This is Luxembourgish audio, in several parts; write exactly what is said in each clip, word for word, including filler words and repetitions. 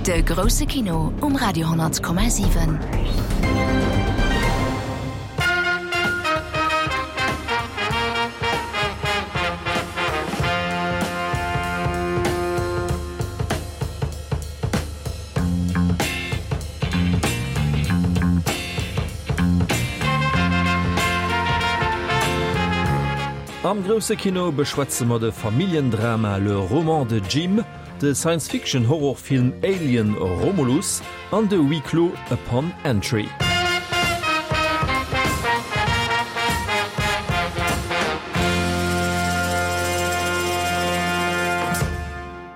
De grousse Kino um Radio honnert Komma siwen. Am grousse Kino beschwätze mer de Familljendrama Le roman de Jim, de Science-Fiction-Horrorfilm Alien, Romulus an de Huis clos Upon Entry.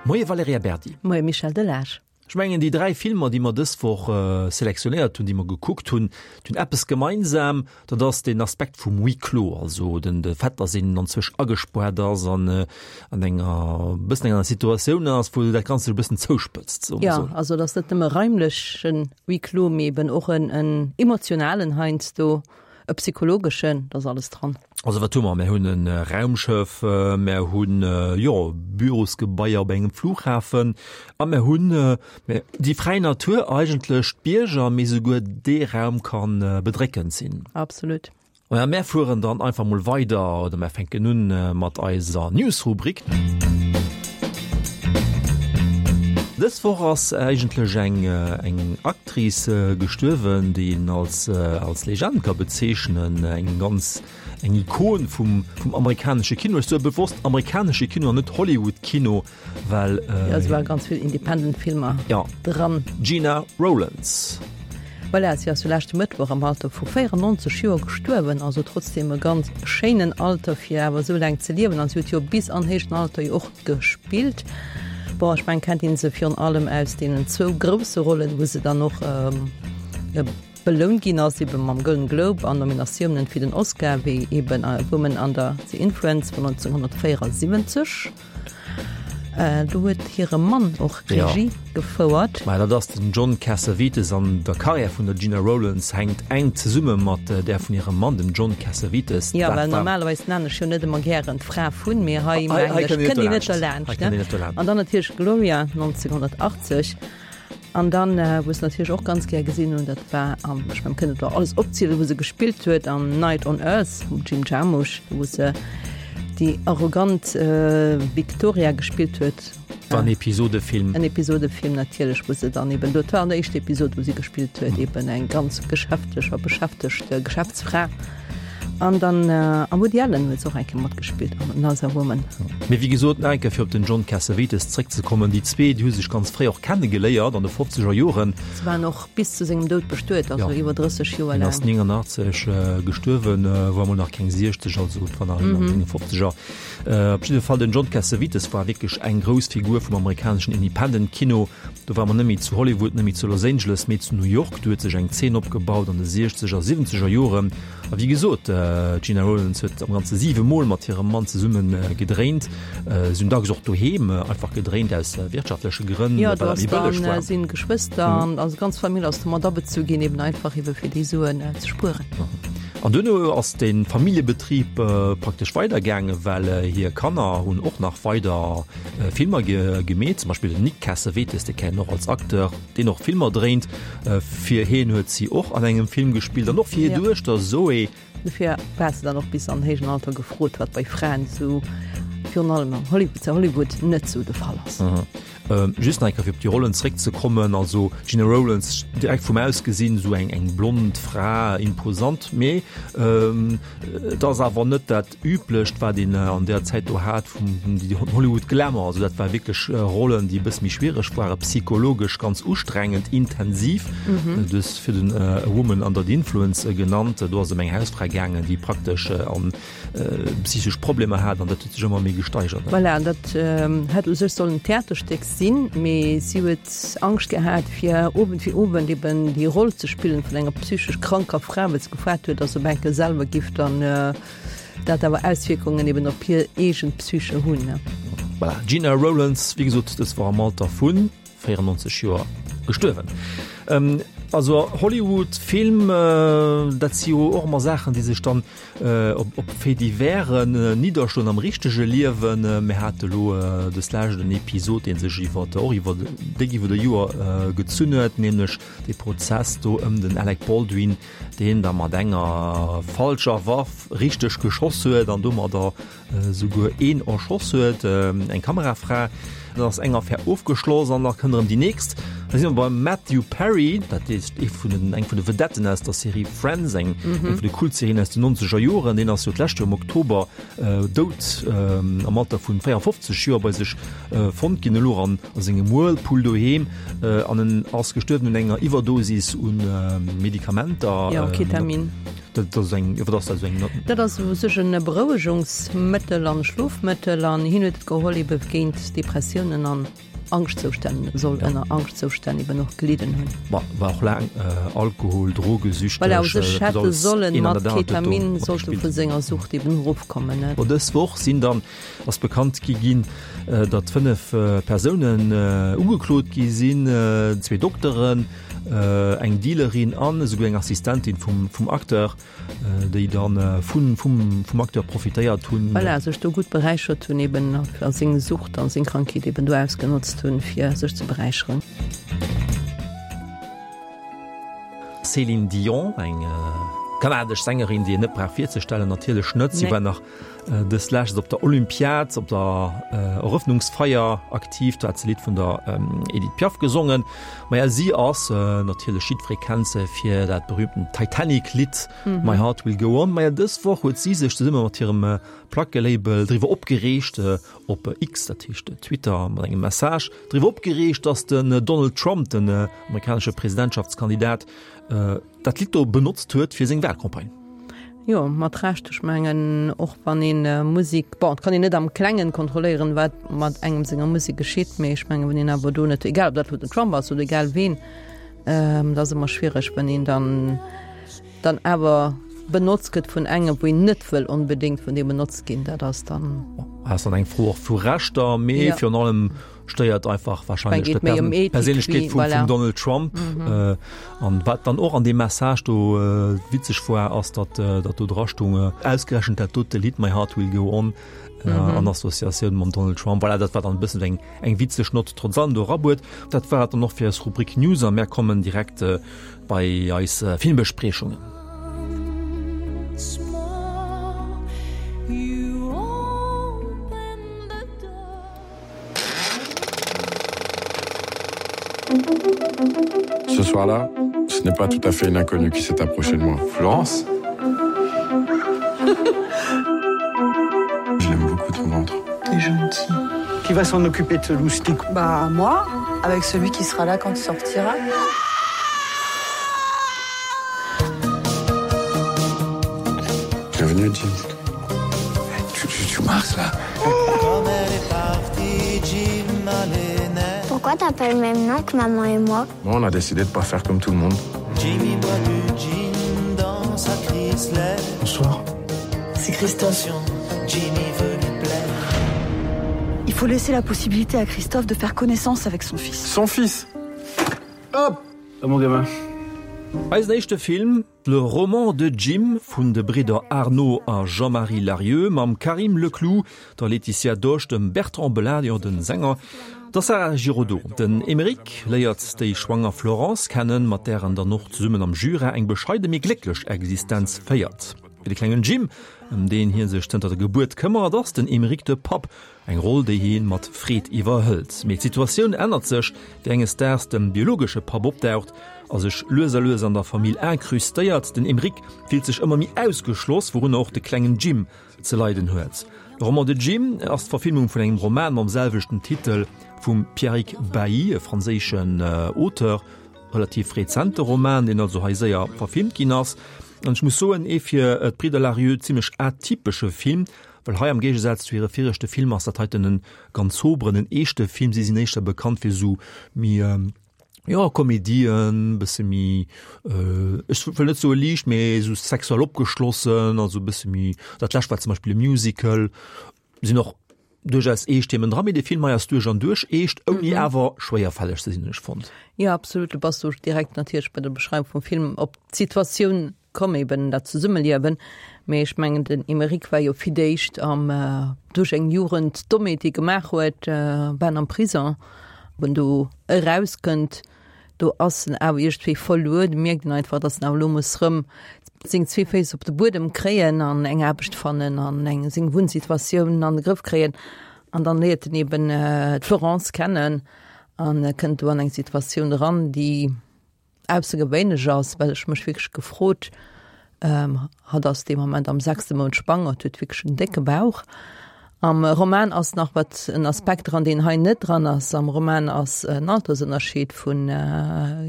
Moie Valerija Berdi. Moie Michel Delage. Ech mengen déi dräi Filmer, déi mer dës Woch selektionéiert hunn, déi mer gekuckt hunn, déi hunn eppes gemeinsam, dat ass deen Aspekt vum Huis clos, also den de Fait, datt een anzwousch agespaart ass an an enger e bëssen enger Situatioun ass, wou dat Ganzt sech e bëssen zouspëtzt, soe mer esou. Jo, also et ass net nëmme raimlechen Huis clos, mee eben och en emotionalen heiansdo. E psychologeschen, da ass alles dran. Also wat hu mer? Mär hunn e Raumschëff, mär hunn, jo, Bürosgebaier op engem Flughafen a mär hunn déi fräi Natur eigentlech, d'Bierger, mee souguer dee Raum ka bedréckend sinn. Absolut. Maja, mär fueren dann einfach mol weider oder mär fänken un mat eiser News-Rubrik. Dës Woch ass eigentlech eng eng Actrice gestuerwen, déi een als als Legend ka bezeechnen, eng ganz eng Ikon vum vum amerikanesche Kino. Ech soe bewosst amerikanesche Kino an net Hollywood-Kino, well. Jo, se ware ganz vill Independent Filmer dran. Gena Rowlands. Voilà, si ass jo leschte Mëttwoch am Alter vu véierannonzeg Joer gestuerwen, also trotzdem e ganz schéinen Alter fir awer esou laang ze liewen an si huet jo bis an héijen Alter jo och gespillt. Bon, ech mengen kennt een se virun allem aus deenen zwou grousse Rollen, wou se dann och belount ginn ass, ebe mam Golden Globe an Nominatiounen fir den Oscar, wéi eben A Woman Under the Influence vun neunzehnhundertvéierasiwwenzeg. Do huet hire Mann och Regie gefouert. Mä dat ass den John Cassavetes an der Karriär vun der Gena Rowlands hänkt enk zesumme mat där vun hirem Mann, dem John Cassavetes. Jo, well normalerweis nennen ech jo net ëmmer gären d'Fra vun, mee hei mengen ech kënnt een net derlaanscht. An dann natierlech Gloria neunzehnhundertachtzeg. An dann, wou ech se natierlech och ganz gär gesinn hunn, dat war am, ech mengen, kënnt et alles opzielen, wou se gespillt huet am Night on Earth vum Jim Jarmusch, wou se déi arrogant Victoria gespillt huet. War en Episodefilm. En Episodefilm natierlech, wou se dann eben, dat war an der éischter Episod, wou si gespillt huet, eben eng ganz geschäftlech a beschäftegt Geschäftsfra. An dann am Woody Allen huet se och eng Kéier matgespillt an Another Woman. Mee wéi gesot, nach eng Kéier fir op den John Cassavetes zréckzekommen, déi zwee, déi hu sech ganz fréi och kenne geléiert an de fofzeger Joren. Se waren och bis zu sengem Doud bestuet, also iwwer drësseg Joer laang. Hien ass néngannachtzeg gestuerwen, war emol nach keng siechzeg, also et war nach an senge Fofzeger. Op jidde Fall, den John Cassavetes war wierklech eng grouss Figur vum amerikaneschen Independent-Kino. Do war mer net méi zu Hollywood, net méi zu Los Angeles, mee zu New York. Do huet sech eng Zeen opgebaut an de siechzeger, siwwenzeger Joren. A wéi gesot, d'Gena Rowlands huet am Ganze siwe Mol mat hirem Mann zesumme gedréint. Si hunn dacks och doheem einfach gedréint, aus wirtschaftleche Grënn, well dat méi bëlleg war. Jo, do ass dann sinn Geschwëster an also d'ganz Famill ass do mat abezu ginn, eben einfach ebe fir déi Suen ze spueren. An duerno ass de Familljebetrib praktesch weidergaangen, well hir Kanner hunn och nach weider Filmer gemeet, zum Beispill den Nick Cassavetes, dee kennen och als Acteur, deen och Filmer dréint. Fir hien huet si och an engem Film gespillt an och fir hir Duechter Zoe. Dofir war se dann och bis an héijen Alter gefrot, wat bei Fraen esou, virun allem am Hollywood, zu Hollywood net esou de Fall ass. Just nach eng Kéier fir op déi Rollen zréckzekommen, also Gena Rowlands direkt vum Ausgesinn esou eng eng blond Fra, imposant, mee et ass awer net dat üblecht wat een an där Zäit do hat vum Hollywood Glamour, also dat war wierklech Rollen déi e bësse méi schwiereg waren, psychologesch ganz ustrengend, intensiv. Du hues virdun A Woman Under the Influence genannt, do ass et ëm eng Hausfra gaangen, déi praktesch an psychesch Problemer hat an dat huet sech ëmmer méi gesteigert. Voilà, an dat hätt u sech sollen en Theaterstéck sinn, mee si huet Angscht gehat fir Owend fir Owend eben déi Roll ze spillen vun enger psychesch kranker Fra, well se gefaart huet, datt se op eng Kéier selwer giff dann dat awer Auswierkungen eben op hir eegen Psyche hunn. Voilà, Gena Rowlands, wéi gesot, dës war am Alter vu véierannonzeg Joer gestuerwen. An Also Hollywood Film, dat si jo och ëmmer Saachen, déi sech dann op op Faits diversen nidderschloen am richtege Liewen. Mir hate lo dës Lescht en Episod, dee sech iwwer och iwwer déck iwwer e Joer gezunn huet, nämlech dee Prozess do ëm den Alec Baldwin, deen da mat enger falscher Waff richteg geschoss huet an domadder souguer een erschoss huet, eng Kamerafra. Dann ass eng Affär ofgeschloss an da kënnt erëm déi nächst. Da si mer beim Matthew Perry, dat ist ee vun den, eng vun de Vedetten aus der Serie Friends, eng, eng vun de Kultserien aus den nonzeger Joren. Deen ass jo d'lescht Joer am Oktober dout am Alter vun véierundfofzeg Joer bei sech fonnt ginn, elo an a sengem Whirlpool doheem. An en ass gestuerwen un enger Iwwerdosis un Medikamenter. Jo, Ketamin. Dat ass eng, wat ass dat esou eng? Dat ass u sech en Berouegungsmëttel an Schlofmëttel an hien huet et geholl ebe géint Depressiounen an Angschtzoustänn, soll ënner Angschtzoustänn eben och gelidden hunn. Ma war och laang Alkohol-, Drogesüchteg. Voilà, u sech hätt e sollen mat Ketamin sollt e vu senger Sucht eben erofkommen, ne? Bon, dës Woch sinn dann, ass bekannt gi ginn, datt fënnef Persounen ugeklot gi sinn, zwee Dokteren, eng Dealerin an esouguer eng Assistentin vum, vum Acteur, déi dann vun, vum, vum Acteur profitéiert hunn. Voilà, sech do gutt beräichert hunn eben a seng Sucht an seng Krankheet eben do ausgenotzt hunn, fir sech ze beräicheren. Céline Dion, eng kanadesch Sängerin, déi een net brauch virzestellen, natierlech net. Si war nach dës Lescht op der Olympiad, op der Erëffnungsfeier aktiv. Do hat se e Lidd vun der Edith Piaf gesongen. Maja, si ass natierlech, jiddweree kennt se fir dat berühmten Titanic-Lidd My Heart Will Go On. Maja, dës Woch huet si sech zesumme mat hirem Plackelabel driwwer opgereegt, op X, dat heescht Twitter, mat engem Message driwwer opgereegt, datt den Donald Trump, den amerikanesche Presidentschaftskandidat, dat Lidd do benotzt huet fir seng Wahlcampagne. Jo, mat Recht. Ech mengen, och wann een Musik, bon, et kann een net am Klengen kontrolléieren, wat mat engem senger Musek geschitt, mee ech mengen, wann een awer do net, egal ob dat elo den Trump ass oder egal ween, dat ass ëmmer schwiereg, wann een dann dann awer benotzt gëtt vun engem, wou een net wëll onbedéngt vun deem benotzt ginn, dat ass dann. Ass dann eng Fro och vu Rechter, mee virun allem stéiert einfach wahrscheinlech d'Perséinlechkeet vum Donald Trump. An wat dann och an deem Message do witzeg war, ass datt datt do dra stoung, ausgerechent dat dote Lidd My Heart Will Go On an Associatioun mam Donald Trump. Voilà, dat war dann e bëssen eng eng witzeg Nott trotz allem do erabuet. Dat war et dann och fir eis Rubrik News a mär kommen direkt bei eis Filmbespriechungen. Ce soir-là, ce n'est pas tout à fait une inconnue qui s'est approchée de moi. Florence Je l'aime beaucoup ton ventre. T'es gentil. Qui va s'en occuper de ce loustic Bah moi, avec celui qui sera là quand tu sortiras. Bienvenue Jim. Tu, tu, tu marches là. Pourquoi t'as pas le même nom que maman et moi Bon, on a décidé de pas faire comme tout le monde. Jimmy boit du gin dans sa Chrysler. Bonsoir. C'est Christophe. Jimmy veut lui plaire. Il faut laisser la possibilité à Christophe de faire connaissance avec son fils. Son fils Hop Ah, mon gamin. Eisen éischte Film, Le roman de Jim vun de Bridder Arnaud a Jean-Marie Larrieu mam Karim Leclou, der Laetitia Dosch, dem Bertrand Belin, de Sänger, der Sara Giraudeau. Den Aymeric léiert déi schwanger Florence kennen, mat där en dann och zesummen am Jura eng bescheide mee glécklech Existenz féiert. Fir de klengen Jim, ëm deen hie sech zënter der Gebuert këmmert, ass den Aymeric de Papp, eng Roll, déi hie mat Freed iwwerhëlt. Mee d'Situatioun ännert sech, wéi enges Daags de biologesche Papp opdaucht a sech lues a lues an der Famill incrustéiert. Den Aymeric fillt sech ëmmer méi ausgeschloss, wourunner och de klengen Jim ze leiden huet. Le roman de Jim ass d'Verfilmung vun engem Roman mam selwechten Titel vum Pierrick Bailly, e franséischen Auteur. Relativ rezente Roman, deen also hei séier verfilmt ginn ass. An ech muss soen, ee fir d'Bridder Larrieu zimmlech atypesche Film, well hei am Géigesaz zu hire viregte Filmer ass dat heiten en ganz soberen, en eeschte Film. Si sinn éischter bekannt fir esou méi, jo, Komedien, bësse méi, ech wëll net soe liicht, mee esou sexuell opgeschlossen, also e bësse méi, dat lescht war zum Beispill e Musical, sinn och duerchaus eescht Themen dran, mee dee Film hei ass duerch an duerch eescht, ouni awer schwéierfälleg ze sinn, hunn ech fonnt. Jo, absolut. Du bass do direkt natierlech bei der Beschreiwung vum Film op d'Situatioun komm, eben dat Zesummeliewen. Mee ech mengen, den Emeric war jo fir d'éischt am, duerch eng Jugend Dommheet, déi e gemaach huet, war en am Prison. Wou en do erauskënnt, do ass en awer iergendwéi verluer. Do mierkt en einfach, datt en awer elo muss rëm seng zwee Féiss op de Buedem kréien an eng Aarbecht fannen an eng seng Wunnsituatioun an de Grëff kréien. An dann léiert en eben d'Florence kennen an kënnt do an eng Situatioun eran, déi aussergewéinlech ass, well ech mech wierklech gefrot, hatt ass dee Moment am sechste Mount schwanger, huet wierklech en décke Bauch. Am Roman ass nach wat en Aspekt dran, deen hei net dran ass. Am Roman ass en Altersënnerscheed vun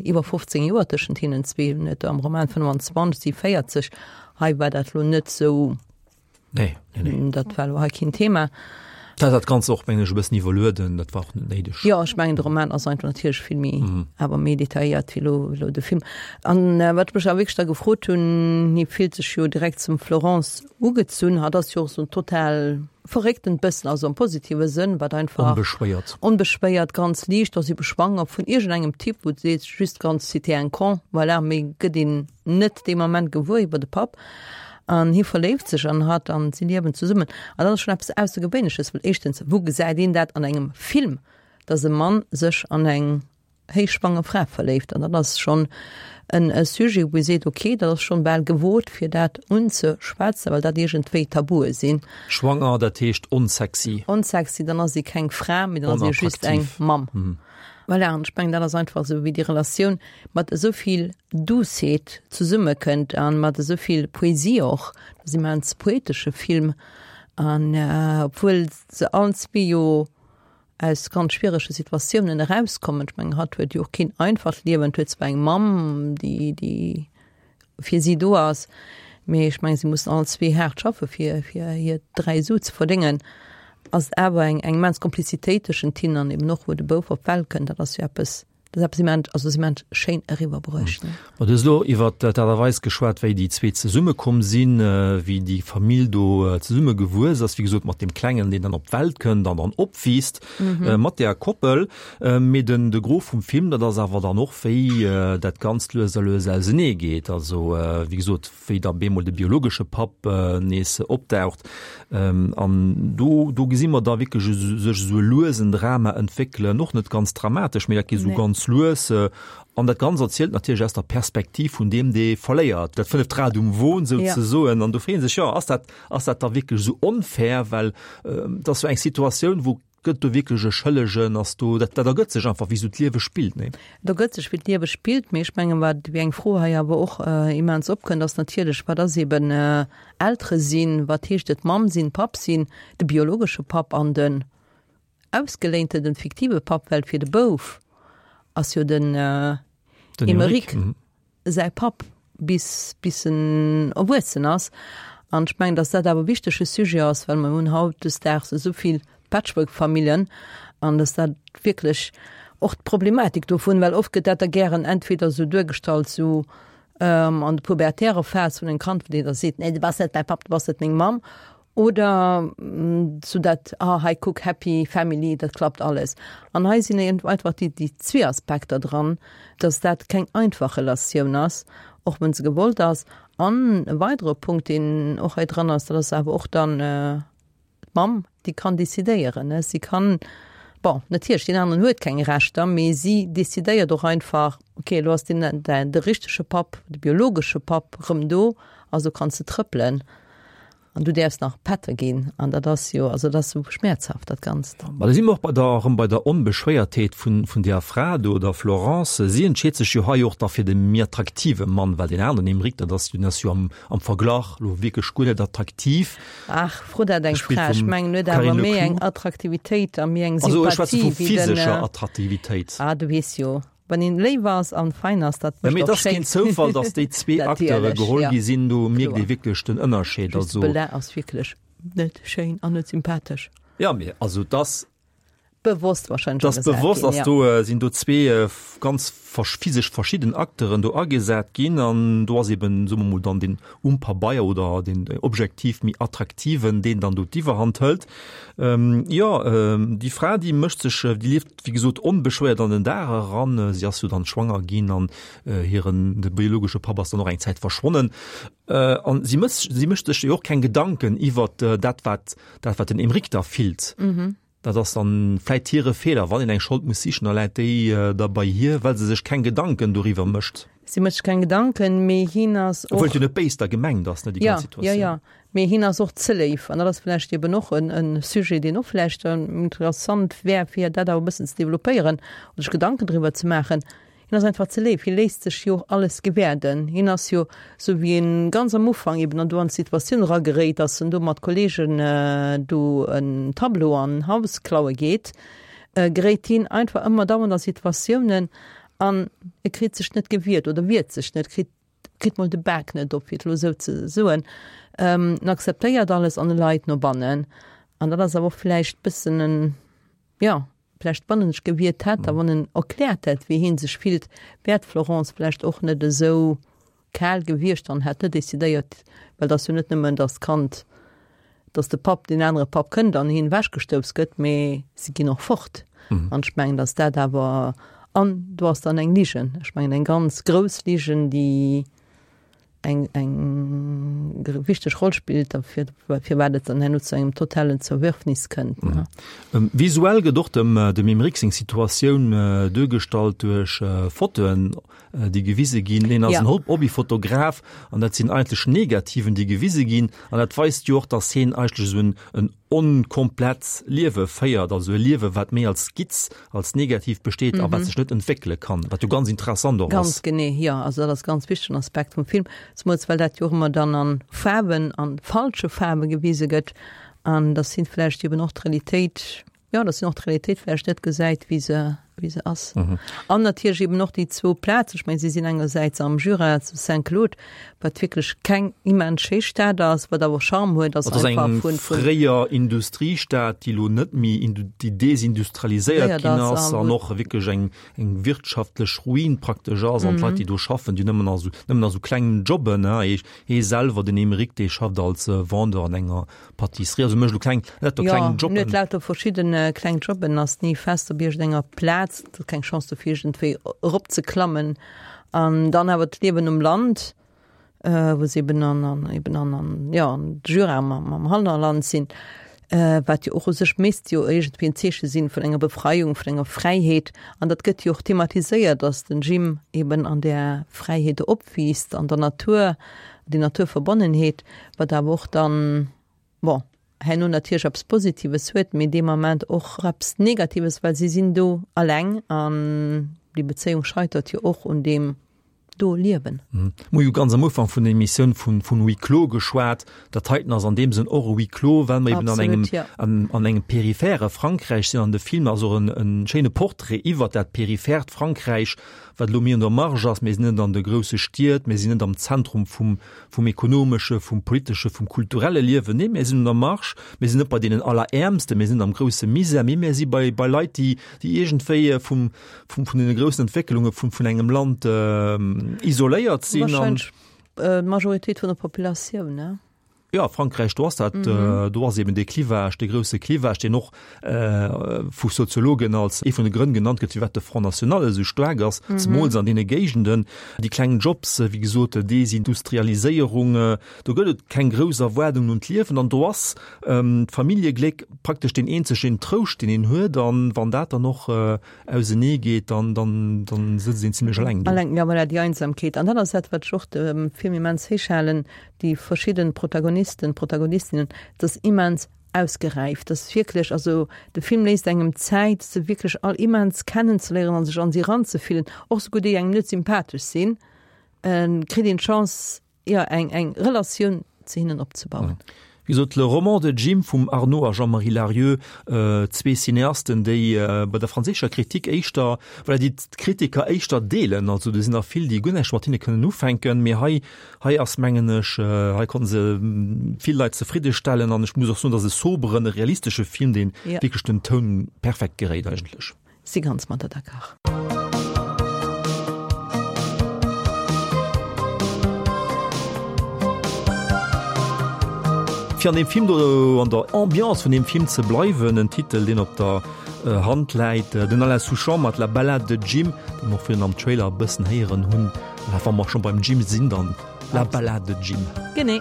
iwwer fofzéng Joer tëschent hinnen zwee. Hunn et am Roman fënnwanzwanzeg, si véierzeg. Hei war dat lo net sou. Nee, nee, nee. Dat war lo hei keen Thema. Dat hat dat Ganzt och, mengen ech, e bëssen iwwerlueden. Dat war och net néideg. Jo, ech mengen, de Roman ass einfach natierlech vill méi, awer méi detailléiert wéi lo, lo de Film. An wat ech mech awer wierklech da gefrot hunn, hie fillt sech jo direkt zum Florence ugezunn. Hatt ass jo och sou en total verrécktent bëssen, also am positive Sënn, wat einfach. Onbeschwéiert. Onbeschwéiert, ganz liicht, ass ebe schwanger vun iergendengem Typ, wou du sees, just ganz, c'était un con, voilà, méi gëtt een net dee Moment gewuer iwwer de Papp. An hie verléift sech an hatt an si liewen zesummen. An dat ass schonn eppes Aussergewéinleches, well éischtens, wou gesäit een dat an engem Film, dass e Mann sech an eng héichschwanger Fra verléift? An dat ass schonn en Sujet, wou ee seet, okay, dat ass schonn bal gewot, fir dat unzeschwätzen, well dat iergendwéi Tabue sinn. Schwanger, dat heescht onsexy. Onsexy, dann ass ee keng Fra, mee dann ass ee just eng Mamm. Voilà, an ech mengen, dat ass einfach esou, wéi déi Relatioun mat esou vill Douceet zesummekënnt a mat esou vill Poesie och. Dat ass immens poetesche Film. An obwuel se allen zwee jo aus ganz schwierege Situatiounen erauskommen, ech mengen, hatt huet jo och keen einfacht Liewen, huet zwar eng Mamm, déi, déi fir si do ass, mee ech mengen, si mussen allen zwee haart schaffe fir, fir hir dräi Su ze verdéngen. Ass et awer eng eng immens Komplizitéit tëschent hinnen an eben och wou de Bouf op d'Welt kënnt, dat ass jo eppes, dat ass eppes immens, also ass immens schéin eriwwerbruecht. Ma du hues elo iwwer d'Aart a Weis geschwat, wéi déi zwee zesummekomm sinn, wéi déi Famill do zesummegewuess ass, wéi gesot mat deem Klengen, deen dann op d'Welt kënnt an dann opwiisst mat där Koppel. Mee den de Gros vum Film, dat ass awer dann och, wéi dat Ganzt lues a lues ausenee geet. Also wéi gesot, wéi da bemol de biologesche Papp nees opdaucht. An do, do gesi mer da wierklech sech esou e luesen Drama entwéckelen, och net ganz dramatesch, mee dat geet esou ganz lues. An dat Ganzt erzielt natierlech aus der Perspektiv vun deem, dee verléiert, dat fënneft Rad um Won souzesoen. An do freet ee sech, jo, ass dat, ass dat da wierklech esou onfair? Well et ass jo eng Situatioun, wou Gëtt do wierklech e Schëllegen? Ass do, dat, dat ergëtt sech einfach, wéi esou d'Liewe spillt, nee? Et ergëtt sech, wéi d'Liewe spillt, mee ech mengen, wat wéi eng Fro hei awer och immens opkënnt, ass natierlech, wat ass eben Eltere sinn, wat heescht et Mamm sinn, Papp sinn, de biologesche Papp an den ausgeléinten, den fiktive Papp, well fir de Bouf ass jo den Emeric säi Papp bis bis en erwuessen ass. An ech mengen, datt dat awer e wichtege Sujet ass, well mer hunn hautdesdaags esou vill Patchwork-Familljen an datt dat wierklech och d'Problematik dovun, well oft gëtt dat da gären entweder esou duergestallt, esou an der pubertärer Phas vun engem Kand, wou deen da seet, nee du bass net mäi Papp, du bass net meng Mamm, oder esou dat, ah hei kuck, happy family, dat klappt alles. An hei sinn einfach déi déi zwee Aspekter dran, datt dat keng einfach Relatioun ass, och wann se gewollt ass. An e weidere Punkt, deen och hei dran ass, dat ass awer och dann, D'Mamm, déi kann decidéieren, ne? Si kann, bon, natierlech, deen aneren huet keng Rechter, mee si decidéiert och einfach, okay, elo ass deen, de richtege Papp, de biologesche Papp rëm do, also kanns de trëppelen an du däerfs nach Pätter ginn. An dat ass jo, also dat ass esou schmäerzhaft, dat Ganzt. Ma da si mer och bei der, erëm bei der Onbeschwéiertheet vun, vun deer Fra do, der Florence. Si entscheet sech jo hei och da fir de méi attraktive Mann, well deen aneren, Aymeric, dat ass jo, deen ass jo am, am Verglach lo wierklech guer net attraktiv. Ach, fro dat eng Fra. Ech mengen, huet awer méi eng Attraktivitéit a méi eng Sympathie wéi den. Also ech schwätze vu physescher Attraktivitéit. Ah, du weess jo, wann een léif ass an fein ass, dat mécht och schéin. Mee et ass keen Zoufall, datt déi zwee Acteure geholl gi sinn. Do mierkt ee wierklech den Ënnerscheed. Just de Belin ass wierklech net schéin an net sympathesch. Jo, mee also et ass. Bewosst wahrscheinlech Dat ass agesat bewosst, ginn, ass ja. do äh, sinn do zwee äh, ganz versch physesch verschidden Acteuren do agesat ginn an do ass eben, soe mer mol, dann den um Pabeier oder den äh, objektiv méi attraktiven, deen dann do d'Iwwerhand hëlt. Ähm, jo, ähm, déi Fra, déi mécht sech, äh, déi lieft wéi gesot onbeschwéiert an den Dag eran. Äh, si ass jo dann schwanger ginn an äh, hiren de biologesche Papp ass dann och eng Zäit verschwonnen. Äh, an si mécht si mécht sech jo och keng Gedanken iwwert äh, dat wat dat wat den Aymeric da fillt. Mhm. Dat ass dann vläit hire Feeler, wann een eng Schold muss sichen, da läit déi äh, da bei hir, well se sech keng Gedanken doriwwer mécht. Si mécht sech keng Gedanken, mee hien ass och. Obwuel et jo net béis da gemengt ass, ne, déi Ja, ganz ja, Situatioun. ja. Mee hien ass och ze léif. An dat ass vläicht eben och en, en Sujet, deen och vläicht interessant wär, fir dat awer e bëssen ze developpéieren oder sech Gedanken driwwer ze maachen. Hien ass einfach ze léif, hie léisst sech jo och alles gewäerden. Hien ass jo, sou wéi en ganz am Ufank eben an do an d'Situatioun erageréit, dass en do mat Kollegen do en Tableau an en Haus klaue geet, geréit hien einfach ëmmer dauernd a Situatiounen an e kritt sech net gewiert oder wiert sech net, kritt kritt mol de Bak net op, fir et elo esou ze soen. En akzeptéiert alles an e leit no bannen. An dat ass awer och vläicht bëssen en, jo, Vläicht wann en sech gewiert hätt a wann en erkläert hätt, wéi hien sech fillt, wär d'Florence vläicht och net esou kal gewiescht an hätt net decidéiert, well et ass jo net nëmmen, datt d'Kand, datt de Papp, deen anere Papp kënnt an hien ewechgestouss gëtt, mee si ginn och fort. An ech mengen, datt dat awer, an do ass dann eng Ligen, ech mengen eng ganz grouss Ligen, déi, eng eng wichteg Roll spillt derfir, firwat et dann herno zu engem totalen Zerwürfnis kënnt. Mhm. Visuell gëtt och dem dem Aymeric seng Situatioun duergestallt duerch Fotoen, déi gewise ginn. Hien ass en Hobbyfotograf an dat sinn eigentlech Negativen, déi gewise ginn. An dat weist jo och, datt hien eigentlech esou en en onkomplett Liewe féiert, also e Liewe wat méi als Skizz, als Negativ besteet a wat sech net entwéckele kann, wat jo ganz interessant och ass. Ganz genee, jo. Also dat ass e ganz wichtegen Aspekt vum Film, zemools well dat jo och ëmmer dann a Faarwen, a falsche Faarwe gewise gëtt an dass hien vläicht eben och d'Realitéit, jo, dass hien och d'Realitéit vläicht net gesäit, wéi se, wéi se ass. An natierlech eben och déi zwou Plazen, ech mengen, si sinn engersäits am Jura zu Saint-Claude, wat wierklech keng immens schéi Stad ass, wat awer Charme huet, ass Dat ass einfach eng vun, vun. fréier Industriestad, déi elo net méi indu-, déi desindustrialiséiert Léiert ginn ass ass a an wou. och wierklech eng, eng wirtschaftlech Ruin praktesch ass an d'Leit, déi do schaffen, déi nëmmen a sou, nëmmen a sou klengen Jobben, ne, hie, hie selwer, den Aymeric, dee schafft als Vendeur an enger Pâtisserie, also mécht elo kleng, lauter Jo, kleng en huet Jobben. lauter verschidden kleng Jobben, ass ni fest op iergendenger Plaz, huet keng Chance do fir iergendwéi eropzeklammen. An dann awer d'Liewen um Land, wou se eben an, an, eben an, an, jo, an de Jura am, am Hannerland sinn, wat jo och u sech misst jo iergendwéi en Zeeche sinn vun enger Befreiung, vun enger Fräiheet. An dat gëtt jo och thematiséiert, dass den Jim eben an där Fräiheet do opwiisst, an der Natur, déi Naturverbonnenheet, wat awer och dann, bon, herno natierlech eppes Positives huet, mee dee Moment och eppes Negatives, well si sinn do alleng an déi Bezéiung scheitert jo och un deem do Liewen. Mir hu jo ganz am Ufank vun der Emissioun vun vun Huis clos geschwat. Dat heiten ass an deem Sënn och e Huis clos, well mer eben an engem Absolut, ja. an an engem periphere Frankräich sinn an de Film ass och en en schéine Portrait iwwert dat periphert Frankräich, wat elo méi an der Marge ass. Mir sinn net an de grousse Stied, mir sinn net am Zentrum vum, vum ekonomesche, vum politesche, vum kulturelle Liewen. Nee, mir sinn un der Marge, mir sinn net bei deenen Alleräermsten, mir sinn net am grousse Misär, mee mir si bei, bei Leit, déi, déi iergendwéi vum, vum, vun deene groussen Entwécklunge vun, vun engem Land isoléiert sinn. Wahrscheinlech d'Majoritéit vun der Populatioun, ne? Jo, Frankräich, do ass dat, do ass eben dee Clivage, dee grousse Clivage, deen och vu Soziologen als ee vun de Grënn genannt gëtt, firwat de Front National esou staark ass, zemools an deene Géigenden. Déi kleng Jobs, wéi gesot, Desindustrialiséierung, do gëtt et keng grouss Erwaardungen un d'Liewen an do ass d'Familljegléck praktesch deen eenzegen Trouscht, deen een huet. An wann dat dann och ausenee geet, dann, dann, dann sëtzt een zimlech eleng do. Eleng, jo, voilà, déi Einsamkeet. An dat ass dat, wat ech och dem Film immens héich halen, déi verschidden Protagonisten, Protagonistinnen, et ass immens ausgeräift, et ass wierklech, also de Film léisst engem Zäit, se wierklech all immens kennenzeléieren an sech an si eranzefillen, och souguer déi engem net sympathesch sinn, kritt een d'Chance, jo, eng, eng Relatioun ze hinnen opzebauen. Wéi gesot, Le roman de Jim vum Arnaud a Jean-Marie Larrieu, zwee Cineasten, déi bei der franséischer Kritik éischter, voilà, déi d'Kritiker éischter deelen. Also do sinn der vill, déi guer näischt mat hinne kënnen ufänken, mee hei, hei ass, mengen ech, hei konnte se vill Leit zefridde stellen an ech muss och soen, dat ass e soberen, e realistesche Film, deen wierklech den Toun perfekt geréit eigentlech. Si ganz mat der d'accord. Fir an deem Film do, an der Ambiance vun deem Film ze bleiwen, en Titel, deen op der Hand läit, den Alain Souchon mat La Ballade de Jim, dee mer och virun am Trailer e bëssen héieren hunn. Mä wa mer scho beim Jim sinn, dann La Ballade de Jim. Genee.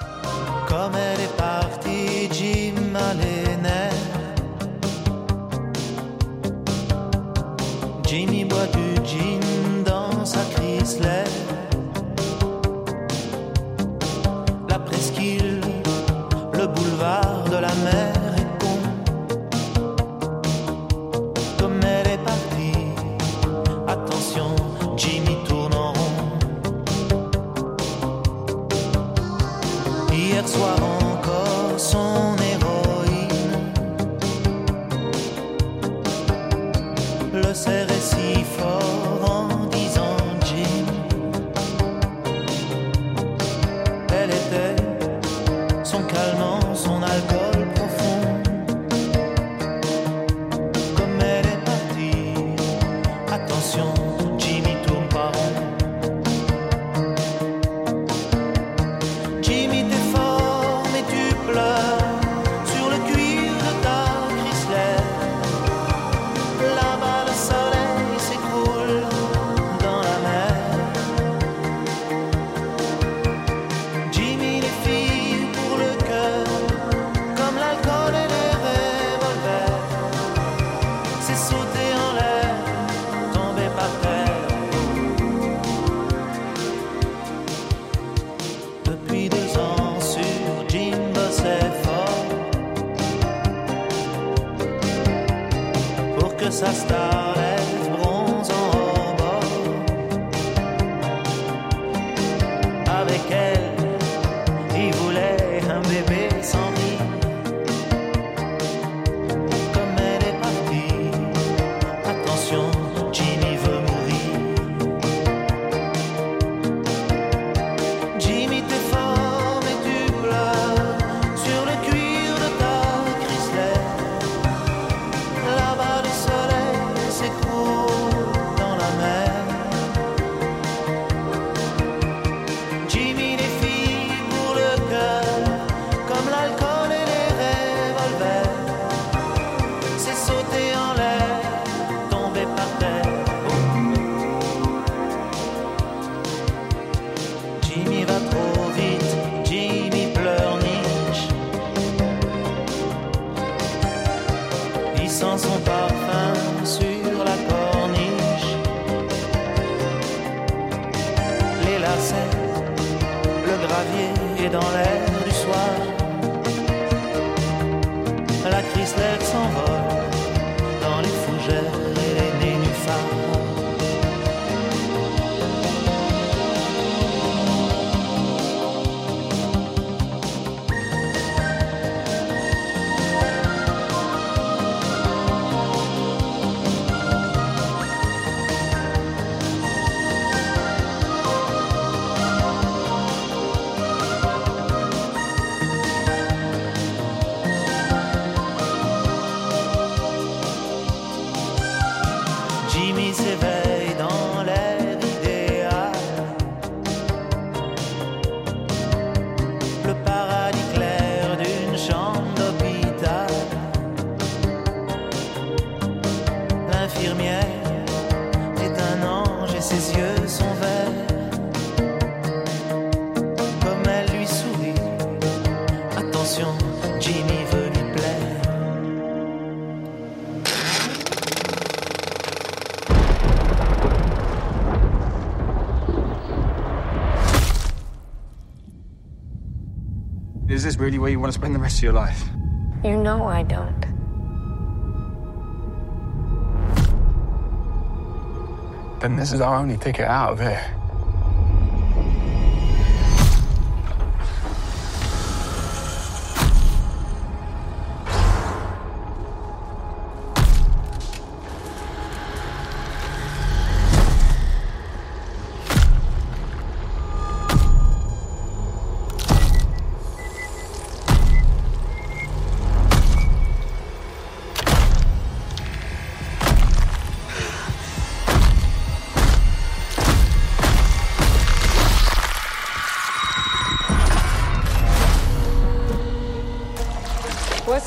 Comme elle est partie, Jim a les nerfs. Jimmy boit du gin dans sa Chrysler. La presqu'île, le boulevard de la mer est con. Comme elle est partie, attention, Jimmy tourne en rond. Hier soir encore son héroïne le serrait si fort en disant Jim. Elle était son calmant, son alcool profond. Comme elle est partie, attention, Jimmy tourne pas rond. Jimmy t'es fort mais tu pleures sur le cuir de ta Chrysler. Là-bas le soleil s'écroule dans la mer. Jimmy les filles pour le cœur, comme l'alcool et les revolvers. C'est sauter en l'air, tomber par terre. Depuis deux ans sur Jim bossait fort pour que sa starlette bronze en bord. Avec elle, il voulait un bébé sans rire. Comme elle est partie, attention, Jimmy veut mourir. Jimmy t'es fort mais tu pleures sur le cuir de ta Chrysler. Là-bas le soleil s'écroule dans la mer. Jimmy les filles pour le cœur, comme l'alcool et les revolvers. C'est sauter en l'air, tomber par terre. Jimmy va trop vite, Jimmy pleurniche. Il sent son parfum sur la corniche. Les lacets, le gravier est dans l'air du soir. La Chrysler s'envole dans les fougères et les nénuphars. Jimmy s'éveille dans l'air idéal. Le paradis clair d'une chambre d'hôpital. L'infirmière est un ange et ses yeux sont verts. Comme elle lui sourit, attention, Jimmy veut lui plaire. Is this really where you want to spend the rest of your life? You know I don't. Then this is our only ticket out of here.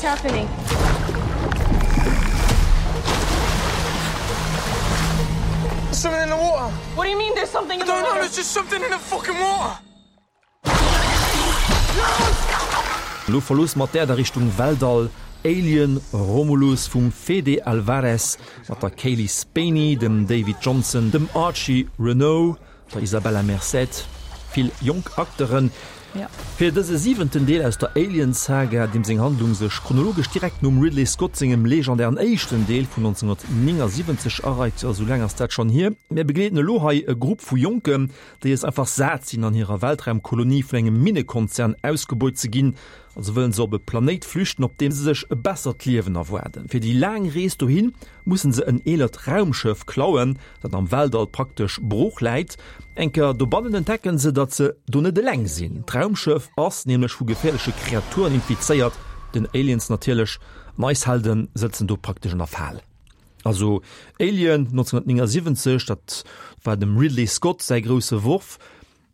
What's happening? There's something in the water. What do you mean there's something in I the don't know, water? there's just something in the fucking water. Lo verloosse mer d'Äerd a Richtung Weltall, Alien, Romulus vum Fede Alvarez mat der Cailee Spaeny, dem David Jonsson, dem Archie Renaux, der Isabela Merced, vill jonk Acteuren. Fir dëse siwenten Deel aus der Alien-Saga, deem seng Handlung sech chronologesch direkt nom Ridley Scott sengem legendären éischten Deel vun nonzénhunnertnéngasiwwenzeg areit, jo esou laang ass dat schonn hier. Mir begleeden elo hei e Grupp vu Jonken, déi es einfach sat sinn an hirer Weltraumkolonie vun engem Minnekonzern ausgebeut ze ginn. Also wëllen se op e Planéit flüchten, op deem se sech e bessert Liewen erwaarden. Fir déi laang Rees dohin mussen se en eelert Raumschëff klauen, dat am Weltall praktesch brooch läit. Eng Kéier dobannen entdecken se, datt se do net eleng sinn. D'Raumschëff ass nämlech vu geféierleche Kreaturen infizéiert, den Aliens natierlech, an eis Helden sëtzen do praktesch an der Fal. Also Alien nonzénhunnertnéngasiwwenzeg, dat war dem Ridley Scott säi grousse Worf.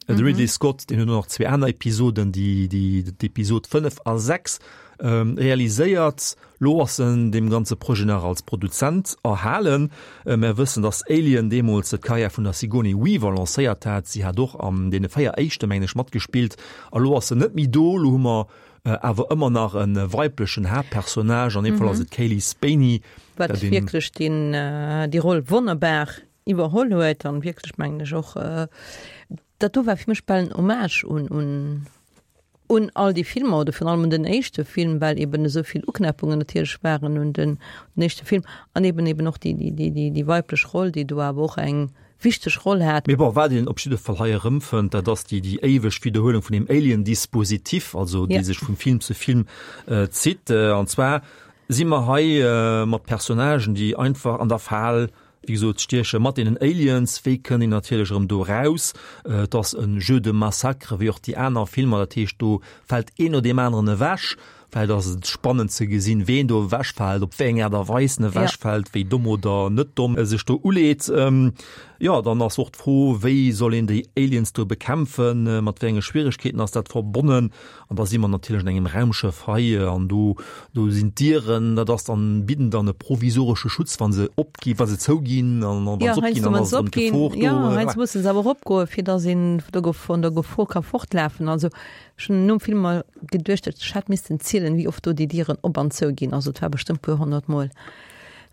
De Ridley Scott, deen huet och nach zwee aner Episoden, déi, déi, d'Episod fënnef a sechs, realiséiert. Lo ass en deem ganze Projet nach als Produzent erhalen. Mär wëssen, dass Alien deemools d'Karriär vun der Sigourney Weaver lancéiert hat. Si hat och an deene véier éischte, mengen ech, matgespillt. A lo ass se net méi do. Lo hu mer awer ëmmer nach e weiblechen Haaptpersonnage. An deem Fall ass et d'Cailee Spaeny, Wat wierklech deen, déi Roll wonnerbar iwwerholl huet an wierklech, mengen ech, och Dat do war fir mech bal en Hommage un, un, un all déi Filmer oder virun allem un den éischte Film, well eben esou vill Uknäppungen natierlech waren un den, den éischte Film an eben eben och déi, déi, déi, déi, déi weiblech Roll, déi do awer och eng wichteg Roll hat. Mee bon, wat een op jidde Fall hei erëmfënnt, dat ass déi, déi éiweg Widderhuelung vun deem Alien-Dispositif, also déi sech vum Film zu Film zitt. An zwar si mer hei mat Personnagen, déi einfach an der Fal, wéi gesot, stieche mat deenen Aliens. Wéi kënnt een natierlech erëm do eraus? Et ass e Jeu de massacre wéi och déi aner Filmer, dat heescht, do fält een no deem aneren ewech. Vläicht ass et spannend ze gesinn, ween do ewechfält, op wéi eng Aart a Weis en ewechfält, wéi domm oder net domm e sech do uleet. Jo, dann ass och d'Fro, wéi soll een déi Aliens do bekämpfen, mat wéi enge Schwieregkeeten ass dat verbonnen? An da si mer natierlech an engem Raumschëff hei an do, do sinn d'Dieren, dat ass dann, bidden dann e provisoresche Schutz, wa se opgi, wa se zouginn an wa se opginn, dann ass erëm d'Gefor do. Jo, heiansdo musse se awer och opgoen, fir datt een vun der Gefor ka fortlafen. Also ech hunn nom Film mer geduecht, ech hätt missten zielen, wéi oft do déi Dieren op an zou ginn. Also et war bestëmmt e puer honnert Mol.